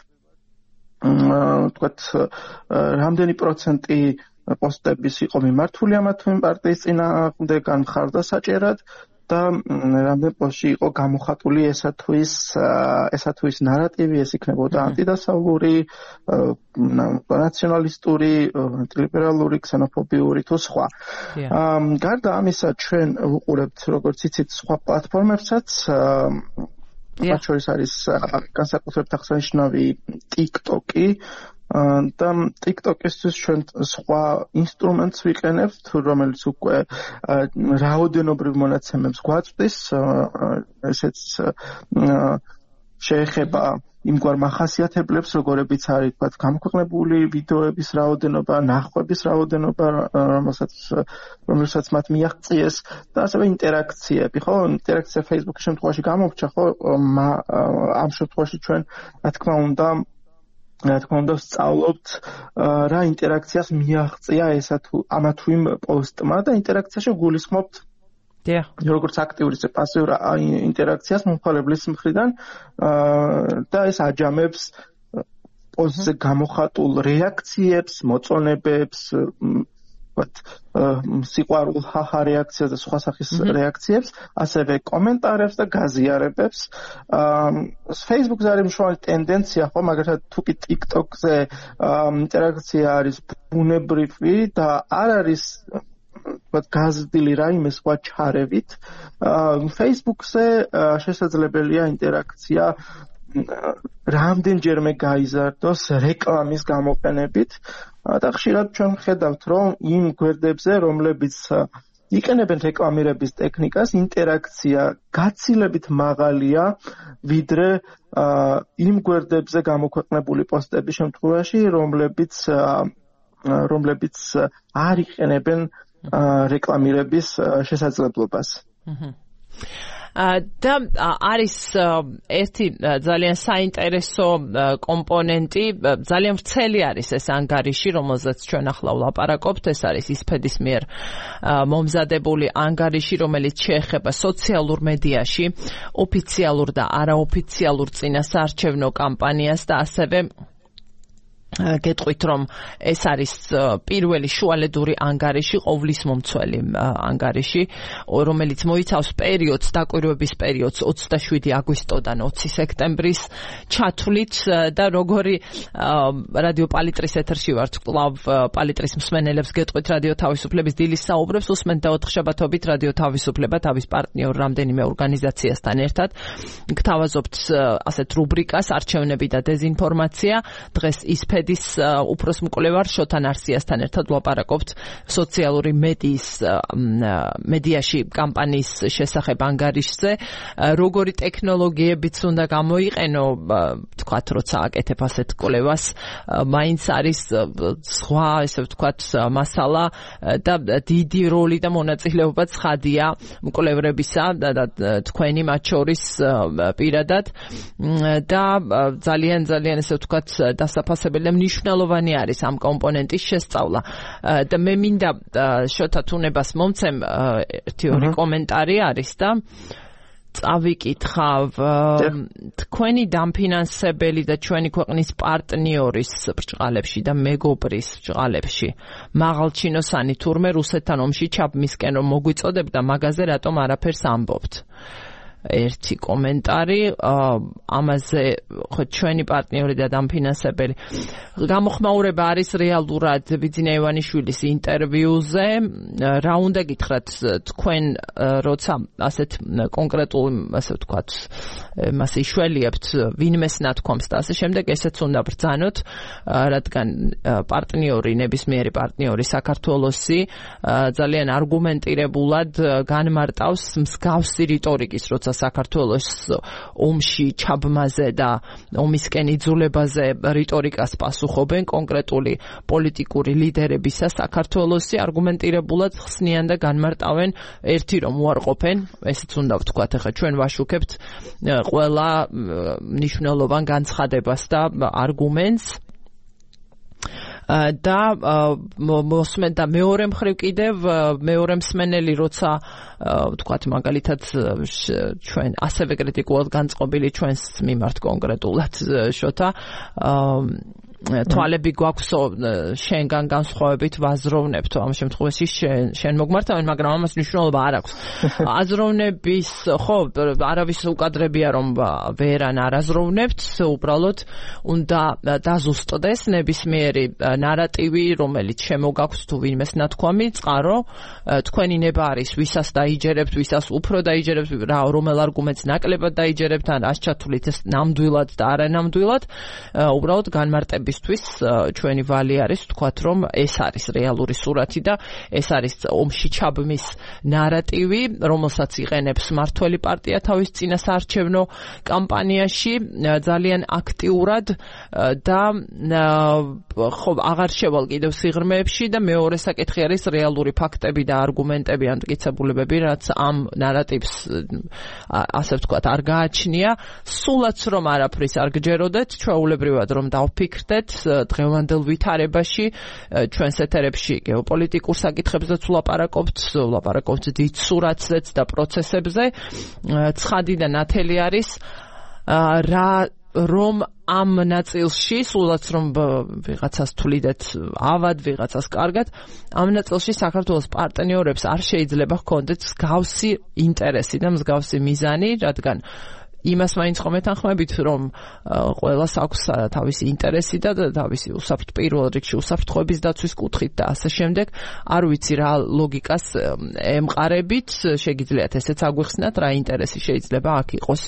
ვთქვათ, რამდენი პროცენტი პოსტების იყო მიმართული ამა თუ იმ პარტიის წინააღმდეგ ან მხარდასაჭერად და რამდენი პოსტში იყო გამოხატული ესა თუ ის ესა თუ ის ნარატივი, ეს იქნებოდა ანტიდასავლური, ნაციონალისტური, ანტილიბერალური, ქსენოფობიური თუ სხვა. გარდა ამისა, ჩვენ ვუყურებთ, როგორც იცით, სხვა პლატფორმებსაც, მათ შორის არის განსაკუთრებით აღსანიშნავი TikTok-ი, და TikTok-ისთვის ჩვენ სხვა ინსტრუმენტს ვიყენებთ, რომელიც უკვე რაოდენობრივ მონაცემებს გვაწვდის, ესეც შეეხება იმგვარ მახასიათებლებს, როგორებიც არის, თქვათ, გამოქვეყნებული ვიდეოების რაოდენობა, ნახვების რაოდენობა, რომელსაც რომელსაც მათ მიაღწიეს და ასევე ინტერაქციები, ხო? ინტერაქცია Facebook-ის შემთხვევაში გამოვრჩა, ხო? ამ შემთხვევაში ჩვენ, რა თქმა უნდა, რა თქმა უნდა, ვსწავლობთ რა ინტერაქციას მიაღწია ესა თუ ამა თუ იმ პოსტმა და ინტერაქციაში გულისხმობთ როგორც აქტიური ისე პასიურ ინტერაქციას მომხმარებლის მხრიდან და ეს აჯამებს პოსტზე გამოხატულ რეაქციებს, მოწონებებს, ვთქვათ, სიყვარულ ხახა რეაქციას და სხვა სახის რეაქციებს, ასევე კომენტარებს და გაზიარებებს. Facebook-ზე არის მშრალი ტენდენცია, ხო, მაგალითად, თუ კი TikTok-ზე ინტერაქცია არის ბუნებრივი და არ არის ვთქვათ, გაზრდილი რაიმე სხვა ჩარევით. Facebook-ზე შესაძლებელია ინტერაქცია რამდენჯერმე გაიზარდოს რეკლამის გამოყენებით და ხშირად ჩვენ ვხედავთ, რომ იმ გვერდებზე, რომლებიც იყენებენ რეკლამირების ტექნიკას, ინტერაქცია გაცილებით მაღალია, ვიდრე იმ გვერდებზე გამოქვეყნებული პოსტების შემთხვევაში, რომლებიც რომლებიც არ იყენებენ რეკლამირების შესაძლებლობას. და არის ერთი ძალიან საინტერესო კომპონენტი, ძალიან ვრცელი არის ეს ანგარიში, რომელზეც ჩვენ ახლა ვლაპარაკობთ, ეს არის ისფედის მიერ მომზადებული ანგარიში, რომელიც შეეხება სოციალურ მედიაში ოფიციალურ და არაოფიციალურ წინასაარჩევნო კამპანიას და ასევე გეტყვით, რომ ეს არის პირველი შუალედური ანგარიში, ყოვლის მომცველი ანგარიში, რომელიც მოიცავს პერიოდს, დაკვირვების პერიოდს ოცდაშვიდი აგვისტოდან ოცი სექტემბრის ჩათვლით და როგორი რადიო პალიტრის ეთერში ვართ, კვლავ პალიტრის მსმენელებს გეტყვით რადიო თავისუფლების დილის საუბრებს, უსმენთ და ოთხშაბათობით რადიო თავისუფლება თავის პარტნიორ რამდენიმე ორგანიზაციასთან ერთად გთავაზობთ ასეთ რუბრიკას არჩევნები და დეზინფორმაცია. დღეს ისფედი ის უფროს მკვლევარ შოთან არსიასთან ერთად ვლაპარაკობთ სოციალური მედიის მედიაში კამპანიის შესახებ ანგარიშზე, როგორი ტექნოლოგიებიც უნდა გამოიყენო, ვთქვათ, როცა აკეთებ ასეთ კვლევას, მაინც არის სხვა, ესე ვთქვათ, მასალა და დიდი როლი და მონაწილეობა ცხადია მკვლევრებისა და თქვენი მათ შორის პირადად და ძალიან ძალიან ესე ვთქვათ დასაფასებელი მნიშვნელოვანი არის ამ კომპონენტის შესწავლა და მე მინდა შოთა თუნებას მომცემ ერთი ორი კომენტარი არის და წავიკითხავ თქვენი დამფინანსებელი და ჩვენი ქვეყნის პარტნიორის ბრჭყალებში და მეგობრის ბრჭყალებში მაღალჩინოსანი თურმე რუსეთთან ომში ჩაბმისკენ რომ მოგვიწოდებდა მაგაზე რატომ არაფერს ამბობთ. ერთი კომენტარი ამაზე, ხო ჩვენი პარტნიორი და დამფინანსებელი გამოხმაურება არის რეალურად ბიძინა ივანიშვილის ინტერვიუზე. რა უნდა გითხრათ თქვენ, როცა ასეთ კონკრეტულ, ასე ვთქვათ, მას იშველიებთ ვინმეს ნათქვამს და ასე შემდეგ, ესეც უნდა ბრძანოთ, რადგან პარტნიორი, ნებისმიერი პარტნიორი საქართველოსი ძალიან არგუმენტირებულად განმარტავს მსგავსი რიტორიკის, როცა საქართველოს ომში ჩაბმაზე და ომისკენ იძულებაზე რიტორიკას პასუხობენ კონკრეტული პოლიტიკური ლიდერებისა საქართველოსი არგუმენტირებულად ხსნიან და განმარტავენ ერთი რომ უარყოფენ, ესეც უნდა ვთქვათ, ახლა ჩვენ ვაშუქებთ ყველა მნიშვნელოვან განცხადებას და არგუმენტს და მოსმენ და მეორე მხრივ კიდევ მეორე მსმენელი როცა ვთქვათ მაგალითად ჩვენ ასევე კრიტიკულად განწყობილი ჩვენს მიმართ კონკრეტულად შოთა თვალები გვაქვსო შენგან განსხვავებით ვაზროვნებთ ამ შემთხვევაში შენ შენ მოგმართავენ, მაგრამ ამას მნიშვნელობა არ აქვს. აზროვნების ხო არავის უკადრებია რომ ვერან არაზროვნებთ, უბრალოდ უნდა დაზუსტდეს ნებისმიერი ნარატივი, რომელიც შემოგაქვთ თუ ვინმეს ნათქვამი, წყარო თქვენი ნება არის, ვისაც დაიჯერებთ, ვისაც უფრო დაიჯერებთ, რა რომელ არგუმენტს ნაკლებად დაიჯერებთ, ან რას ჩათვლით ეს ნამდვილად და არანამდვილად, უბრალოდ განმარტები ჩვენი ვალი არის ვთქვათ, რომ ეს არის რეალური სურათი და ეს არის ომში ჩაბმის ნარატივი, რომელსაც იყენებს მართველი პარტია თავის წინასაარჩევნო კამპანიაში ძალიან აქტიურად და ხო აღარ შევალ კიდევ სიღრმეებში და მეორე საკითხი არის რეალური ფაქტები და არგუმენტები ან მტკიცებულებები, რაც ამ ნარატივს ასე ვთქვათ არ გააჩნია. სულაც რომ არაფრის არ გჯეროდეთ, ჩვეულებრივად რომ დავფიქრდეთ დღევანდელ ვითარებაში, ჩვენს ეთერებში გეოპოლიტიკურ საკითხებზეც ვლაპარაკობთ, ვლაპარაკობთ დიდ სურათზეც და პროცესებზე. ცხადი და ნათელი არის რა რომ ამ ნაწილში, სულაც რომ ვიღაცას თვლიდეთ ავად, ვიღაცას კარგად, ამ ნაწილში საქართველოს პარტნიორებს არ შეიძლება ჰქონდეთ მსგავსი ინტერესი და მსგავსი მიზანი, რადგან იმას მაინც ხომ ეთანხმებით, რომ ყველას აქვს თავისი ინტერესი და თავისი უსაფრთ პირველ რიგში უსაფრთხოების დაცვის კუთხით და ასე შემდეგ. არ ვიცი რა ლოგიკას ემყარებით, შეგიძლიათ ესეც აგვიხსნათ, რა ინტერესი შეიძლება აქ იყოს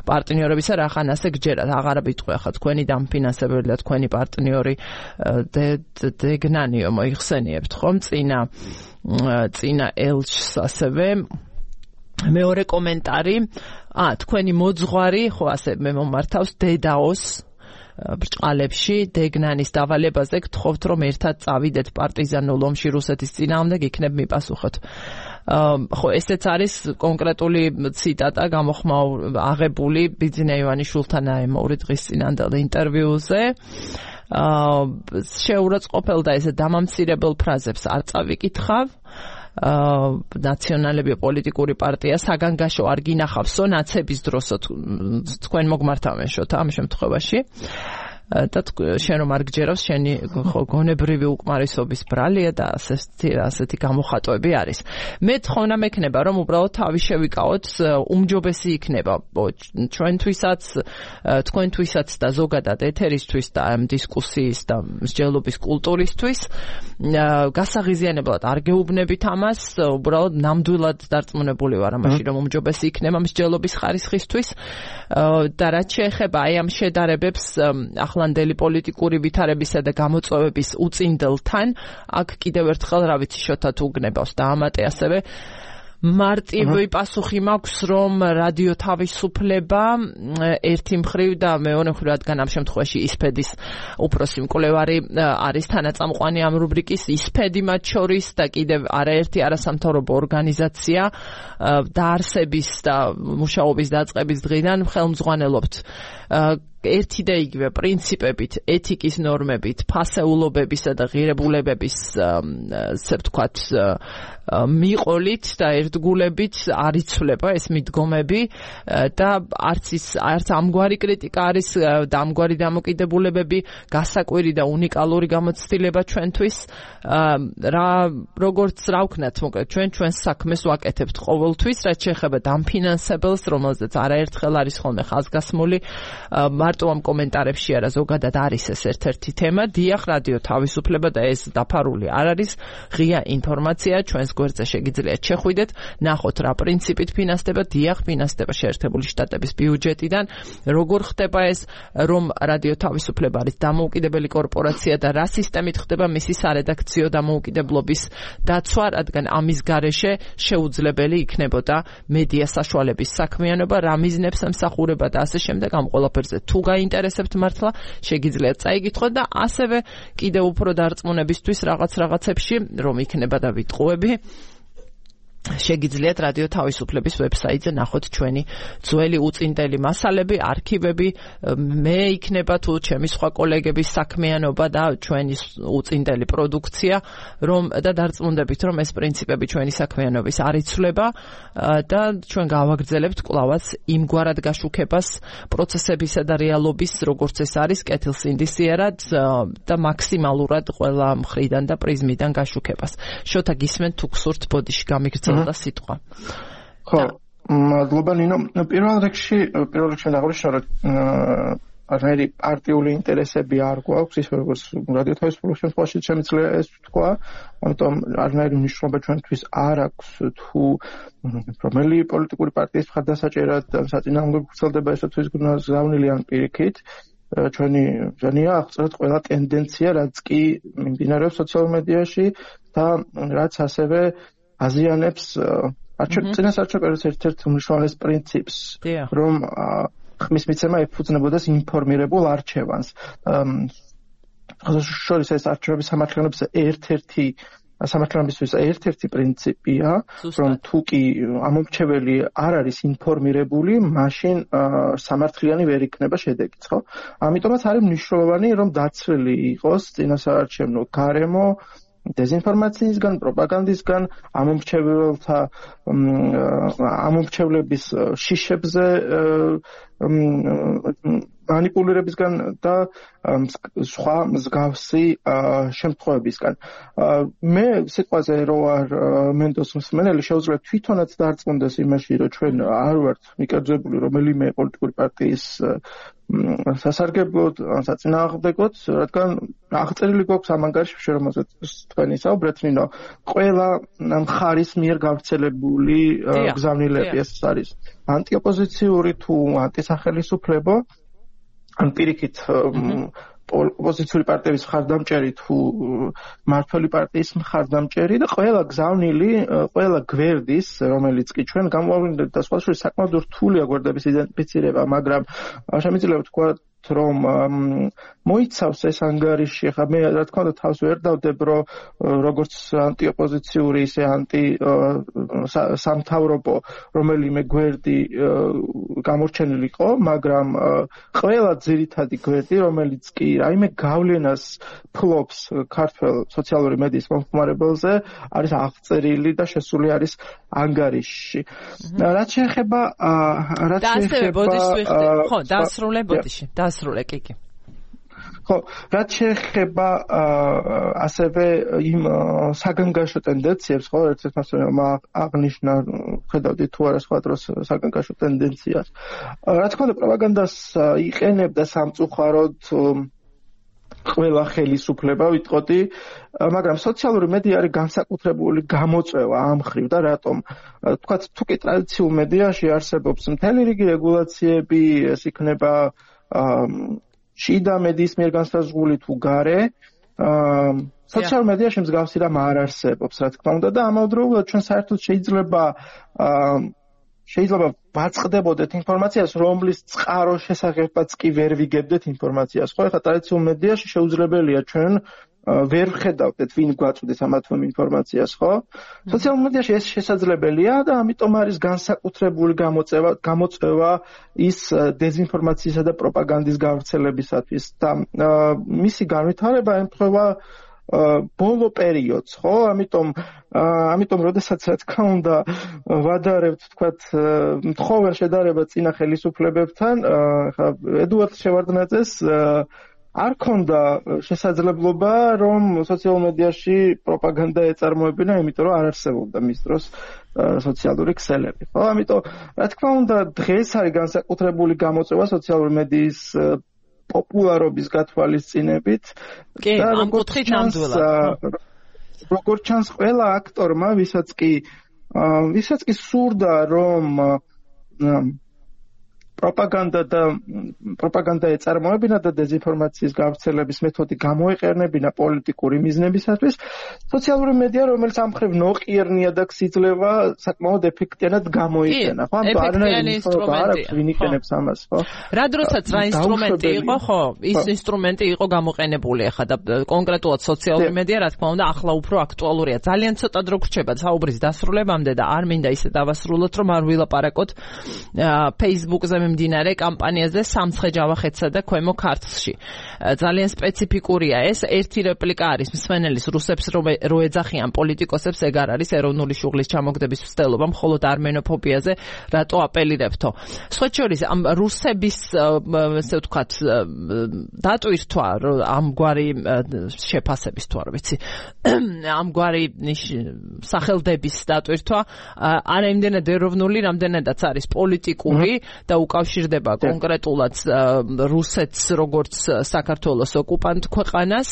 პარტნიორებისა, რახან ასე გჯერათ. აღარა ვიტყვი ახლა თქვენი დამფინანსებელი და თქვენი პარტნიორი დეგნანიო მოიხსენიებთ ხომ წინა წინა ელჩს ასევე. მეორე კომენტარი, ა თქვენი მოძღვარი, ხო ასე მე მომართავს დედაოს ბრჭყალებში დეგნანის დავალებაზე გთხოვთ რომ ერთად წავიდეთ პარტიზანულ ომში რუსეთის წინააღმდეგ, იქნებ მიპასუხოთ. ხო ესეც არის კონკრეტული ციტატა გამოხმაურ აღებული ბიძინა ივანიშვილთან მოური დღის წინანდელ ინტერვიუზე. შეურაცხყოფელ და ესე დამამცირებელ ფრაზებს არ წავიკითხავ. ნაციონალები პოლიტიკური პარტია საგანგაშო არ გინახავსო ნაცების დროსო თქვენ მოგმართავენშოთ ამ შემთხვევაში და შენ რომ არ გჯერავს შენი გონებრივი უკმარისობის ბრალია და ასეთი ასეთი გამოხატვები არის. მე თხოვნა მექნება რომ უბრალოდ თავი შევიკავოთ, უმჯობესი იქნება ჩვენთვისაც, თქვენთვისაც და ზოგადად ეთერისთვის და ამ დისკუსიის და მსჯელობის კულტურისთვის. გასაღიზიანებლად არ გეუბნებით ამას, უბრალოდ ნამდვილად დარწმუნებული ვარ ამაში რომ უმჯობესი იქნება მსჯელობის ხარისხისთვის და რაც შეეხება აი ამ შედარებებს ახლანდელი პოლიტიკური ვითარებისა და გამოწვევების უწინდელთან, აქ კიდევ ერთხელ რა ვიცი შოთა თუ გნებავს და ამატე ასევე მარტივი პასუხი მაქვს რომ რადიო თავისუფლება ერთი მხრივ და მეორე მხრივ რადგან ამ შემთხვევაში ისფედის უფროსი მკვლევარი არის თანაწამყვანი ამ რუბრიკის, ისფედი მათ შორის და კიდევ არაერთი არასამთავრობო ორგანიზაცია დაარსების და მუშაობის დაწყების დღიდან ხელმძღვანელობთ ერთი და იგივე პრინციპებით, ეთიკის ნორმებით, ფასეულობებისა და ღირებულებების ასე ვთქვათ მიყოლით და ერთგულებით არ იცვლება ეს მიდგომები და არც ის არც ამგვარი კრიტიკა არის და ამგვარი დამოკიდებულებები გასაკვირი და უნიკალური გამოცდილება ჩვენთვის. რა როგორც რა ვქნათ, მოკლედ ჩვენ ჩვენს საქმეს ვაკეთებთ ყოველთვის, რაც შეეხება დამფინანსებელს, რომელზეც არაერთხელ არის ხოლმე ხაზგასმული. მარტო ამ კომენტარებში არა, ზოგადად არის ეს ერთ-ერთი თემა. დიახ, რადიო თავისუფლება და ეს დაფარული არ არის ღია ინფორმაცია, ჩვენს გვერდზე შეგიძლიათ შეხვიდეთ, ნახოთ რა პრინციპით ფინანსდება. დიახ, ფინანსდება შეერთებული შტატების ბიუჯეტიდან. როგორ ხდება ეს, რომ რადიო თავისუფლება არის დამოუკიდებელი კორპორაცია და რა სისტემით ხდება მისი სარედაქციო დამოუკიდებლობის დაცვა, რადგან ამის გარეშე შეუძლებელი იქნებოდა მედია საშუალების საქმიანობა, რა მიზნებს ემსახურება და ასე შემდეგ. ამ ყველაფერზე თუ გაინტერესებთ მართლა შეგიძლიათ წაიგითხოთ და ასევე კიდევ უფრო დარწმუნებისთვის რაღაც რაღაცებში რომ იქნება და ვიტყუები შეგიძლიათ რადიო თავისუფლების ვებსაიტზე ნახოთ ჩვენი ძველი უწინდელი მასალები, არქივები, მე იქნება თუ ჩემი სხვა კოლეგების საქმიანობა და ჩვენი უწინდელი პროდუქცია, რომ და დარწმუნდებით, რომ ეს პრინციპები ჩვენი საქმიანობის არ იცვლება და ჩვენ გავაგრძელებთ კვლავაც იმგვარად გაშუქებას პროცესებისა და რეალობის, როგორც ეს არის კეთილსინდისიერად და მაქსიმალურად ყველა მხრიდან და პრიზმიდან გაშუქებას. შოთა გისმენთ თუ გსურთ ბოდიში გამიგრძელოთ და სიტყვა. ხო, მადლობა ნინო. პირველ რიგში, პირველ რიგში ნაღმაშია რომ არნაირი პარტიული ინტერესები არ გვაქვს, ის როგორც რადიო თავისუფლების შემთხვევაში შემიძლია ეს თქვა, ამიტომ არნაირი მნიშვნელობა ჩვენთვის არ აქვს თუ რომელი პოლიტიკური პარტიის მხარდასაჭერად საწინააღმდეგო ვრცელდება ესე თუ ის გზავნილი ან პირიქით. ჩვენი ჟანია აღწერეთ ყველა ტენდენცია, რაც კი მიმდინარეობს სოციალურ მედიაში და რაც ასევე აზიანებს წინასაარჩევნო ერთ-ერთ უმნიშვნელოვანეს პრინციპს, რომ ხმის მიცემა ეფუძნებოდეს ინფორმირებულ არჩევანს. შორის ეს არჩევნების სამართლებრივ ერთ-ერთი სამართლებრივ ერთ-ერთი პრინციპია, რომ თუ კი ამომრჩეველი არ არის ინფორმირებული, მაშინ სამართლიანი ვერ იქნება შედეგიც, ხო? ამიტომაც არის მნიშვნელოვანი, რომ დაცვლილი იყოს წინასაარჩევნო გარემო დეზინფორმაციისგან, პროპაგანდისგან, ამომრჩეველთა ამომრჩევლების შიშებზე манипулირებისგან და სხვა მსგავსი შემთხვევებისგან. მე სიტყვაზე რო არ მენდოს მსმენელი შეუძლია თვითონაც დარწმუნდეს იმაში, რომ ჩვენ არ ვართ მიკერძებული რომელიმე პოლიტიკური პარტიის სასარგებლოდ, საწინააღმდეგოდ, რადგან აღწერილი გვაქვს ამ ანგარიშში, რომელზეც თქვენი საუბრეთ, ნინო, ყველა მხარის მიერ გავრცელებული გზავნილები, ეს არის ანტიოპოზიციური თუ ანტისახელისუფლებო, ან პირიქით ოპოზიციური პარტიების მხარდამჭერი თუ მმართველი პარტიის მხარდამჭერი და ყველა გზავნილი, ყველა გვერდის, რომელიც კი ჩვენ გამოავლინეთ და სხვა შორის საკმაოდ რთულია გვერდების იდენტიფიცირება, მაგრამ შემიძლია ვთქვათ, რომ მოიცავს ეს ანგარიში, ხა მე რა თქმა უნდა თავს ვერ დავდებ, რომ როგორც ანტიოპოზიციური, ისე ანტი სამთავრობო რომელიმე გვერდი გამორჩენილი იყო, მაგრამ ყველა ძირითადი გვერდი, რომელიც კი რაიმე გავლენას ფლობს ქართულ სოციალური მედიის მომხმარებელზე, არის აღწერილი და შესული არის ანგარიშში. რაც შეეხება რაც შეეხება ხო, დაასრულე ბოდიში, დაასრულე კიკი. ხო, რაც შეეხება ასევე იმ საგანგაშო ტენდენციებს, ხო, ერთ-ერთ მასწავლებელმა აღნიშნა, ხედავდით თუ არა სხვა დროს საგანგაშო ტენდენციას. რა თქმა უნდა, პროპაგანდას იყენებდა სამწუხაროდ ყველა ხელისუფლება, ვიტყოდი, მაგრამ სოციალური მედია არის განსაკუთრებული გამოწვევა ამ ხრივ და რატომ? თქვათ, თუ კი ტრადიციულ მედიაში არსებობს მთელი რიგი რეგულაციები, ეს იქნება შიდა მედიის მიერ განსაზღვრული თუ გარე, სოციალურ მედიაში მსგავსი რამ არ არსებობს, რა თქმა უნდა და ამავდროულად ჩვენ საერთოდ შეიძლება შეიძლება ვაწყდებოდეთ ინფორმაციას, რომლის წყაროს შესახებაც კი ვერ ვიგებდეთ ინფორმაციას. ხო, ეხლა ტრადიციულ მედიაში შეუძლებელია ჩვენ ვერ ვხედავდეთ, ვინ გვაწვდის ამ ამ ინფორმაციას, ხო? სოციალურ მედიაში ეს შესაძლებელია და ამიტომ არის განსაკუთრებული გამოწვევა, გამოწვევა ის დეзинფორმაციისა და პროპაგანდის გავრცელებისათვის და მისი განვითარება ემთხვევა ბოლო პერიოდს, ხო? ამიტომ ამიტომ როდესაც რა თქმა უნდა ვადარებთ, თქვათ, მთხოვარ შედარება წინა ხელისუფლებებთან, ხა ედუარდ შევარდნაძეს არ ქონდა შესაძლებლობა, რომ სოციალურ მედიაში პროპაგანდა ეწარმოებინა, იმიტომ რომ არ არსებობდა მის დროს სოციალური ქსელები. ხო, ამიტომ რა თქმა უნდა დღეს არის განსაკუთრებული გამოწვევა სოციალური მედიის პოპულარობის გათვალისწინებით. კი, ამ კუთხით ნამდვილად. როგორც ჩანს, ყველა აქტორმა, ვისაც კი ვისაც კი სურდა, რომ პროპაგანდა და პროპაგანდა ეწარმოებინა და დეзинფორმაციის გავრცელების მეთოდი გამოეყენებინა პოლიტიკური მიზნებისათვის, სოციალური მედია, რომელიც ამ ხრივ ნოყიერნია და გსიძლება, საკმაოდ ეფექტიანად გამოიყენა. ხო, ამიტომ არანაირი ინსტრუმენტი არ აქვს, ვინ იყენებს ამას, ხო? რა დროსაც რა ინსტრუმენტი იყო, ხო, ის ინსტრუმენტი იყო გამოყენებული ახლა და კონკრეტულად სოციალური მედია, რა თქმა უნდა, ახლა უფრო აქტუალურია. ძალიან ცოტა დრო გრჩება საუბრის დასრულებამდე და არ მინდა ისე დავასრულოთ, რომ არ ვილაპარაკოთ Facebook-ზე მიმდინარე კამპანიაზე სამცხე ჯავახეთსა და ქვემო ქართლში. ძალიან სპეციფიკურია ეს. ერთი რეპლიკა არის მსმენელის რუსებს რო ეძახიან პოლიტიკოსებს, ეგ არ არის ეროვნული შუღლის ჩამოგდების მცდელობა, მხოლოდ armenofobia-ზე რატო აპელირებთო. სხვა შორის ამ რუსების, ესე ვთქვათ, დატვირთვა ამგვარი შეფასების თუ არ ვიცი, ამგვარი სახელდების დატვირთვა არა იმდენად ეროვნული, რამდენადაც არის პოლიტიკური და უკავშირდება კონკრეტულად რუსეთს როგორც საქართველოს ოკუპანტ ქვეყანას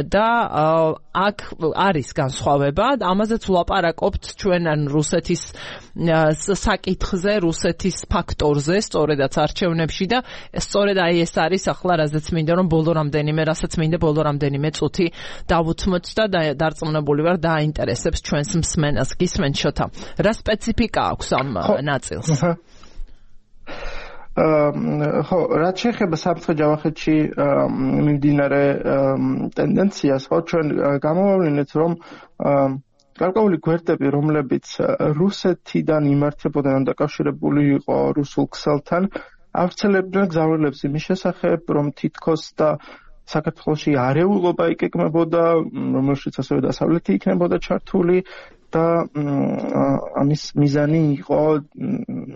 და აქ არის განსხვავება, ამაზეც ვლაპარაკობთ ჩვენ ან რუსეთის საკითხზე, რუსეთის ფაქტორზე, სწორედაც არჩევნებში და სწორედ აი ეს არის ახლა რაზეც მინდა რომ ბოლო რამდენიმე, რასაც მინდა ბოლო რამდენიმე წუთი დავუთმოთ და დარწმუნებული ვარ დააინტერესებს ჩვენს მსმენელს. გისმენთ შოთა, რა სპეციფიკა აქვს ამ ნაწილს? ხო, რაც შეეხება სამცხე ჯავახეთში მიმდინარე ტენდენციას, ხო, ჩვენ გამოვავლინეთ, რომ გარკვეული გვერდები, რომლებიც რუსეთიდან იმართებოდა, ან დაკავშირებული იყო რუსულ ქსელთან, ავრცელებდნენ გზავნილებს იმის შესახებ, რომ თითქოს და საქართველოში არეულობა იკეკმებოდა, რომელშიც ასევე დასავლეთი იქნებოდა ჩართული და ამის მიზანი იყო,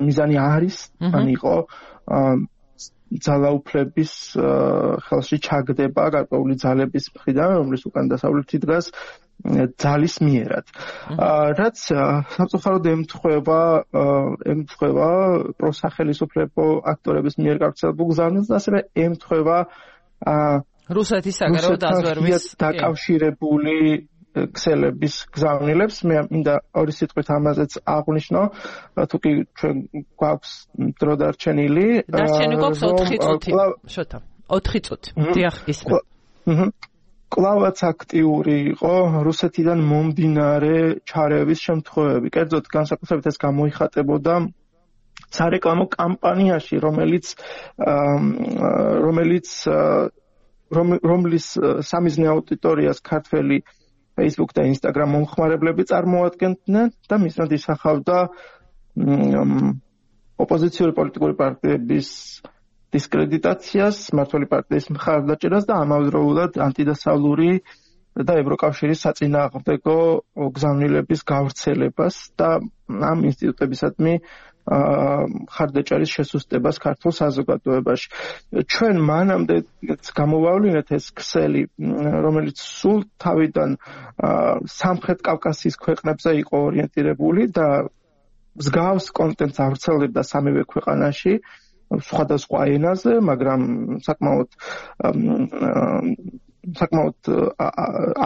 მიზანი არის, ან იყო ძალაუფლების ხელში ჩაგდება გარკვეული ძალების მხრიდან, რომლის უკან დასავლეთი დგას ძალის მიერად. რაც სამწუხაროდ ემთხვევა ემთხვევა პროსახელისუფლებო აქტორების მიერ გავრცელებულ გზავნილს და ასევე ემთხვევა რუსეთის საგარეო დაზვერვის დაკავშირებული ქსელების გზავნილებს. მე მინდა ორი სიტყვით ამაზეც აღვნიშნო, თუ კი ჩვენ გვაქვს დრო დარჩენილი. დარჩენილი გვაქვს ოთხი წუთი. შოთა, ოთხი წუთი. დიახ, ისმენთ. აჰა. კლავაც აქტიური იყო რუსეთიდან მომდინარე ჩარევის შემთხვევები. კერძოდ განსაკუთრებით ეს გამოიხატებოდა სარეკლამო კამპანიაში, რომელიც რომელიც რომლის სამიზნე აუდიტორიას ქართველი Facebook და Instagram მომხმარებლები წარმოადგენდნენ და მისნად ისახავდა ოპოზიციური პოლიტიკური პარტიების დისკრედიტაციას, მმართველი პარტიის მხარდაჭერას და ამავდროულად ანტიდასავლური და ევროკავშირის საწინააღმდეგო გზავნილების გავრცელებას და ამ ინსტიტუტებისადმი მხარდაჭერის შესუსტებას ქართულ საზოგადოებაში. ჩვენ მანამდე გამოვავლინეთ ეს ქსელი, რომელიც სულ თავიდან სამხრეთ კავკასიის ქვეყნებზე იყო ორიენტირებული და მსგავს კონტენტს ავრცელებდა სამივე ქვეყანაში, სხვადასხვა ენაზე, მაგრამ საკმაოდ საკმაოდ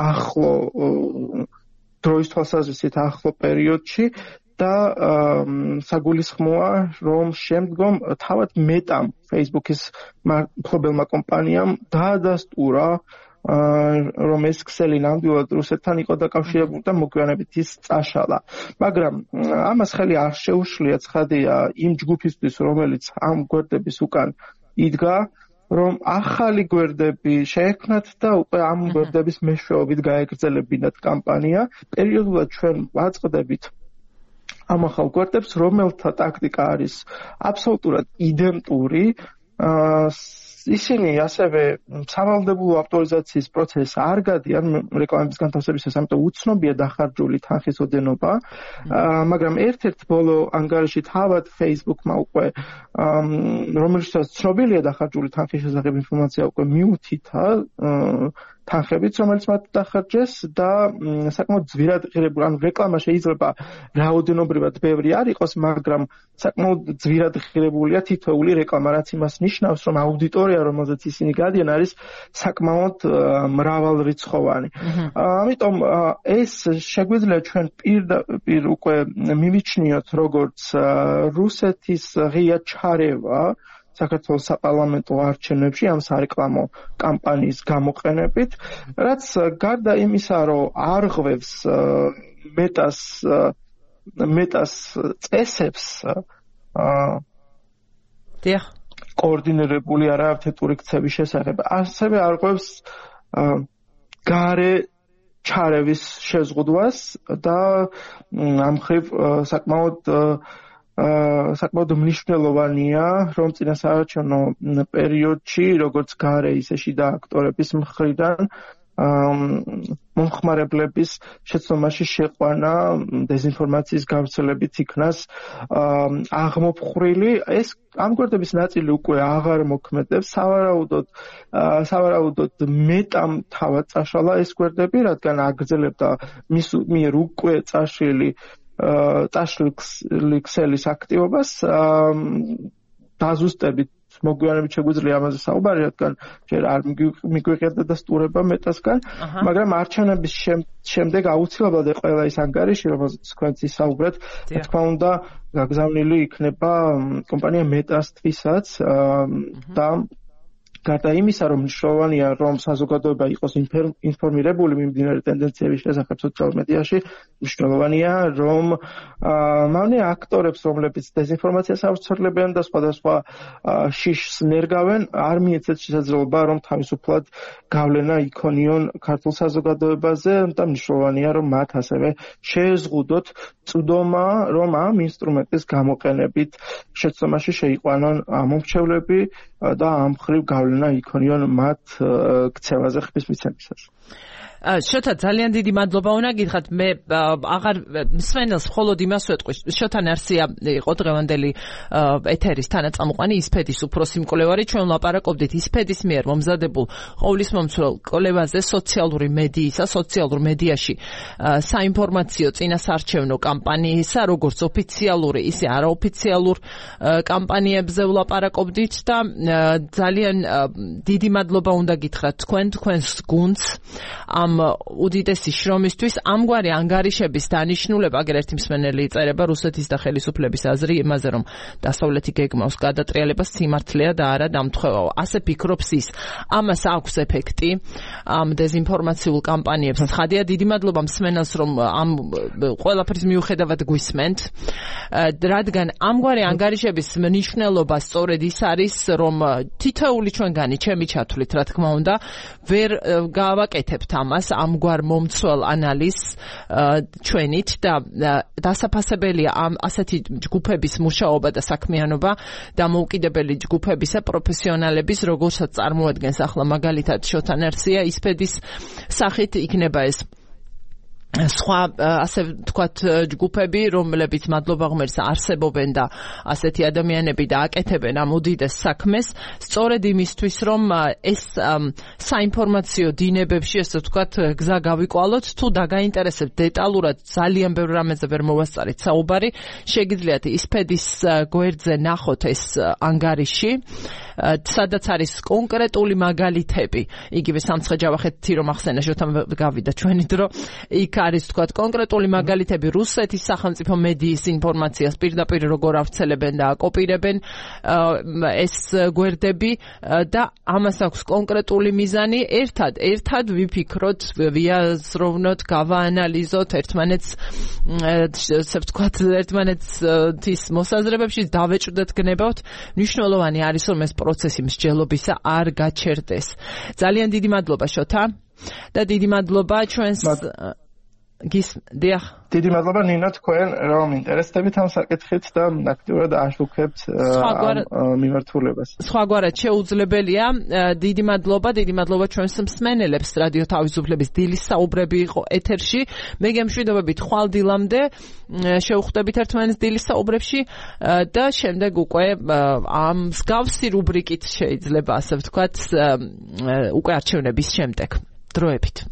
ახლო დროის თვალსაზრისით ახლო პერიოდში და საგულისხმოა, რომ შემდგომ თავად მეტამ Facebook-ის მფლობელმა კომპანიამ დაადასტურა, რომ ეს ქსელი ნამდვილად რუსეთთან იყო დაკავშირებული და მოგვიანებით ის წაშალა. მაგრამ ამას ხელი არ შეუშლია, ცხადია, იმ ჯგუფისთვის, რომელიც ამ გვერდების უკან იდგა, რომ ახალი გვერდები შეექმნათ და უკვე ამ გვერდების მეშვეობით გაეგრძელებინათ კამპანია. პერიოდულად ჩვენ ვაწყდებით ამ ახალ გვერდებს, რომელთა ტაქტიკა არის აბსოლუტურად იდენტური. ისინი ასევე სავალდებულო ავტორიზაციის პროცესს არ გადიან რეკლამების განთავსებისას, ამიტომ უცნობია დახარჯული თანხის ოდენობა, მაგრამ ერთ-ერთ ბოლო ანგარიში თავად Facebook-მა უკვე რომელშიც ცნობილია დახარჯული თანხის შესახებ ინფორმაცია უკვე მიუთითა თანხებით, რომელიც მათ დახარჯეს და საკმაოდ ძვირად ღირებული, ანუ რეკლამა შეიძლება რაოდენობრივად ბევრი არ იყოს, მაგრამ საკმაოდ ძვირად ღირებულია თითოეული რეკლამა, რაც იმას ნიშნავს, რომ აუდიტორია, რომელზეც ისინი გადიან, არის საკმაოდ მრავალრიცხოვანი. ამიტომ ეს შეგვიძლია ჩვენ პირდაპირ უკვე მივიჩნიოთ, როგორც რუსეთის ღია ჩარევა საქართველოს საპარლამენტო არჩევნებში ამ სარეკლამო კამპანიის გამოყენებით, რაც გარდა იმისა, რომ არღვევს მეტას მეტას წესებს დიახ კოორდინირებული არაერთეტური ქცევის შესახებ, ასევე არღვევს გარე ჩარევის შეზღუდვას და ამ მხრივ საკმაოდ საკმაოდ მნიშვნელოვანია, რომ წინასაარჩევნო პერიოდში, როგორც გარე, ისე შიდა აქტორების მხრიდან მომხმარებლების შეცდომაში შეყვანა დეზინფორმაციის გავრცელებით იქნას აღმოფხრილი. ეს ამ გვერდების ნაწილი უკვე აღარ მოქმედებს, სავარაუდოდ სავარაუდოდ მეტამ თავად წაშალა ეს გვერდები, რადგან აგრძელებდა მის მიერ უკვე წაშლილი წაშლილი ქსელის აქტივობას. დაზუსტებით მოგვიანებით შეგვიძლია ამაზე საუბარი, რადგან ჯერ არ მიგვიღებდა დასტურება მეტასგან, მაგრამ არჩევნების შემდეგ აუცილებლად ყველა ის ანგარიში, რომელზეც თქვენც ისაუბრეთ, რა თქმა უნდა, გაგზავნილი იქნება კომპანია მეტასთვისაც და გარდა იმისა, რომ მნიშვნელოვანია, რომ საზოგადოება იყოს ინფორმირებული მიმდინარე ტენდენციების შესახებ სოციალურ მედიაში, მნიშვნელოვანია, რომ მავნე აქტორებს, რომლებიც დეზინფორმაციას ავრცელებენ და სხვადასხვა შიშს ნერგავენ, არ მიეცეთ შესაძლებლობა, რომ თავისუფლად გავლენა იქონიონ ქართულ საზოგადოებაზე და მნიშვნელოვანია, რომ მათ ასევე შეეზღუდოთ წვდომა, რომ ამ ინსტრუმენტის გამოყენებით შეცდომაში შეიყვანონ მომრჩევლები და ამ მხრივ გავლენა იქონიონ მათ ქცევაზე ხმის მიცემისას. შოთა ძალიან დიდი მადლობა უნდა გითხრათ მე აღარ მსმენელს მხოლოდ იმას ვეტყვი შოთა ნარსია იყო დღევანდელი ეთერის თანაწამყვანი ისფედის უფროსი მკვლევარი ჩვენ ვლაპარაკობდით ისფედის მიერ მომზადებულ ყოვლისმომცველ კვლევაზე სოციალური მედიისა სოციალურ მედიაში საინფორმაციო წინასარჩევნო კამპანიისა როგორც ოფიციალური ისე არაოფიციალურ კამპანიებზე ვლაპარაკობდით და ძალიან დიდი მადლობა უნდა გითხრათ თქვენ თქვენს გუნდს ამ უდიდესი შრომისთვის ამგვარი ანგარიშების დანიშნულება აგერ ერთი მსმენელი იწერება რუსეთის და ხელისუფლების აზრი იმაზე რომ დასავლეთი გეგმავს გადატრიალებას სიმართლეა და არა დამთხევაო ასე ფიქრობს ის ამას აქვს ეფექტი ამ დეზინფორმაციულ კამპანიებს ხადია დიდი მადლობა მსმენელს რომ ამ ყველაფრის მიუხედავად გვისმენთ რადგან ამგვარი ანგარიშების მნიშვნელობა სწორედ ის არის რომ თითოეული ჩვენგანი ჩემი ჩათვლით რა თქმა უნდა ვერ გავაკეთებთ ამას ამგვარ მომცველ ანალიზს ჩვენით და დასაფასებელია ამ ასეთი ჯგუფების მუშაობა და საქმიანობა დამოუკიდებელი ჯგუფებისა პროფესიონალების როგორცაც წარმოადგენს ახლა მაგალითად შოთა ნარსია ისფედის სახით იქნება ეს სხვა ასე ვთქვათ ჯგუფები რომლებიც მადლობა ღმერთს არსებობენ და ასეთი ადამიანები და აკეთებენ ამ უდიდეს საქმეს სწორედ იმისთვის რომ ეს საინფორმაციო დინებებში ასე ვთქვათ გზა გავიკვალოთ თუ დაგაინტერესებთ დეტალურად ძალიან ბევრ რამეზე ვერ მოვასწარით საუბარი შეგიძლიათ ისფედის გვერდზე ნახოთ ეს ანგარიში სადაც არის კონკრეტული მაგალითები იგივე სამცხე-ჯავახეთი რომ ახსენა შოთა გავიდა ჩვენი დრო იქ არის თქვათ კონკრეტული მაგალითები რუსეთის სახელმწიფო მედიის ინფორმაციას პირდაპირ როგორ ავრცელებენ და აკოპირებენ ეს გვერდები და ამას აქვს კონკრეტული მიზანი ერთად ერთად ვიფიქროთ ვიაზროვნოთ გავაანალიზოთ ერთმანეთს ესე ვთქვათ ერთმანეთს ის მოსაზრებებში დავეჭვდეთ გნებავთ მნიშვნელოვანი არის რომ ეს პროცესი მსჯელობისა არ გაჩერდეს ძალიან დიდი მადლობა შოთა და დიდი მადლობა ჩვენს გის დიახ დიდი მადლობა ნინო თქვენ რომ ინტერესდებით ამ საკითხით და აქტიურად აშუქებთ ამ მიმართულებას. სხვაგვარად შეუძლებელია დიდი მადლობა დიდი მადლობა ჩვენს მსმენელებს რადიო თავისუფლების დილის საუბრები იყო ეთერში მე გემშვიდობებით ხვალ დილამდე შევხვდებით ერთმანეთს დილის საუბრებში და შემდეგ უკვე ამ მსგავსი რუბრიკით შეიძლება ასე ვთქვათ უკვე არჩევნების შემდეგ დროებით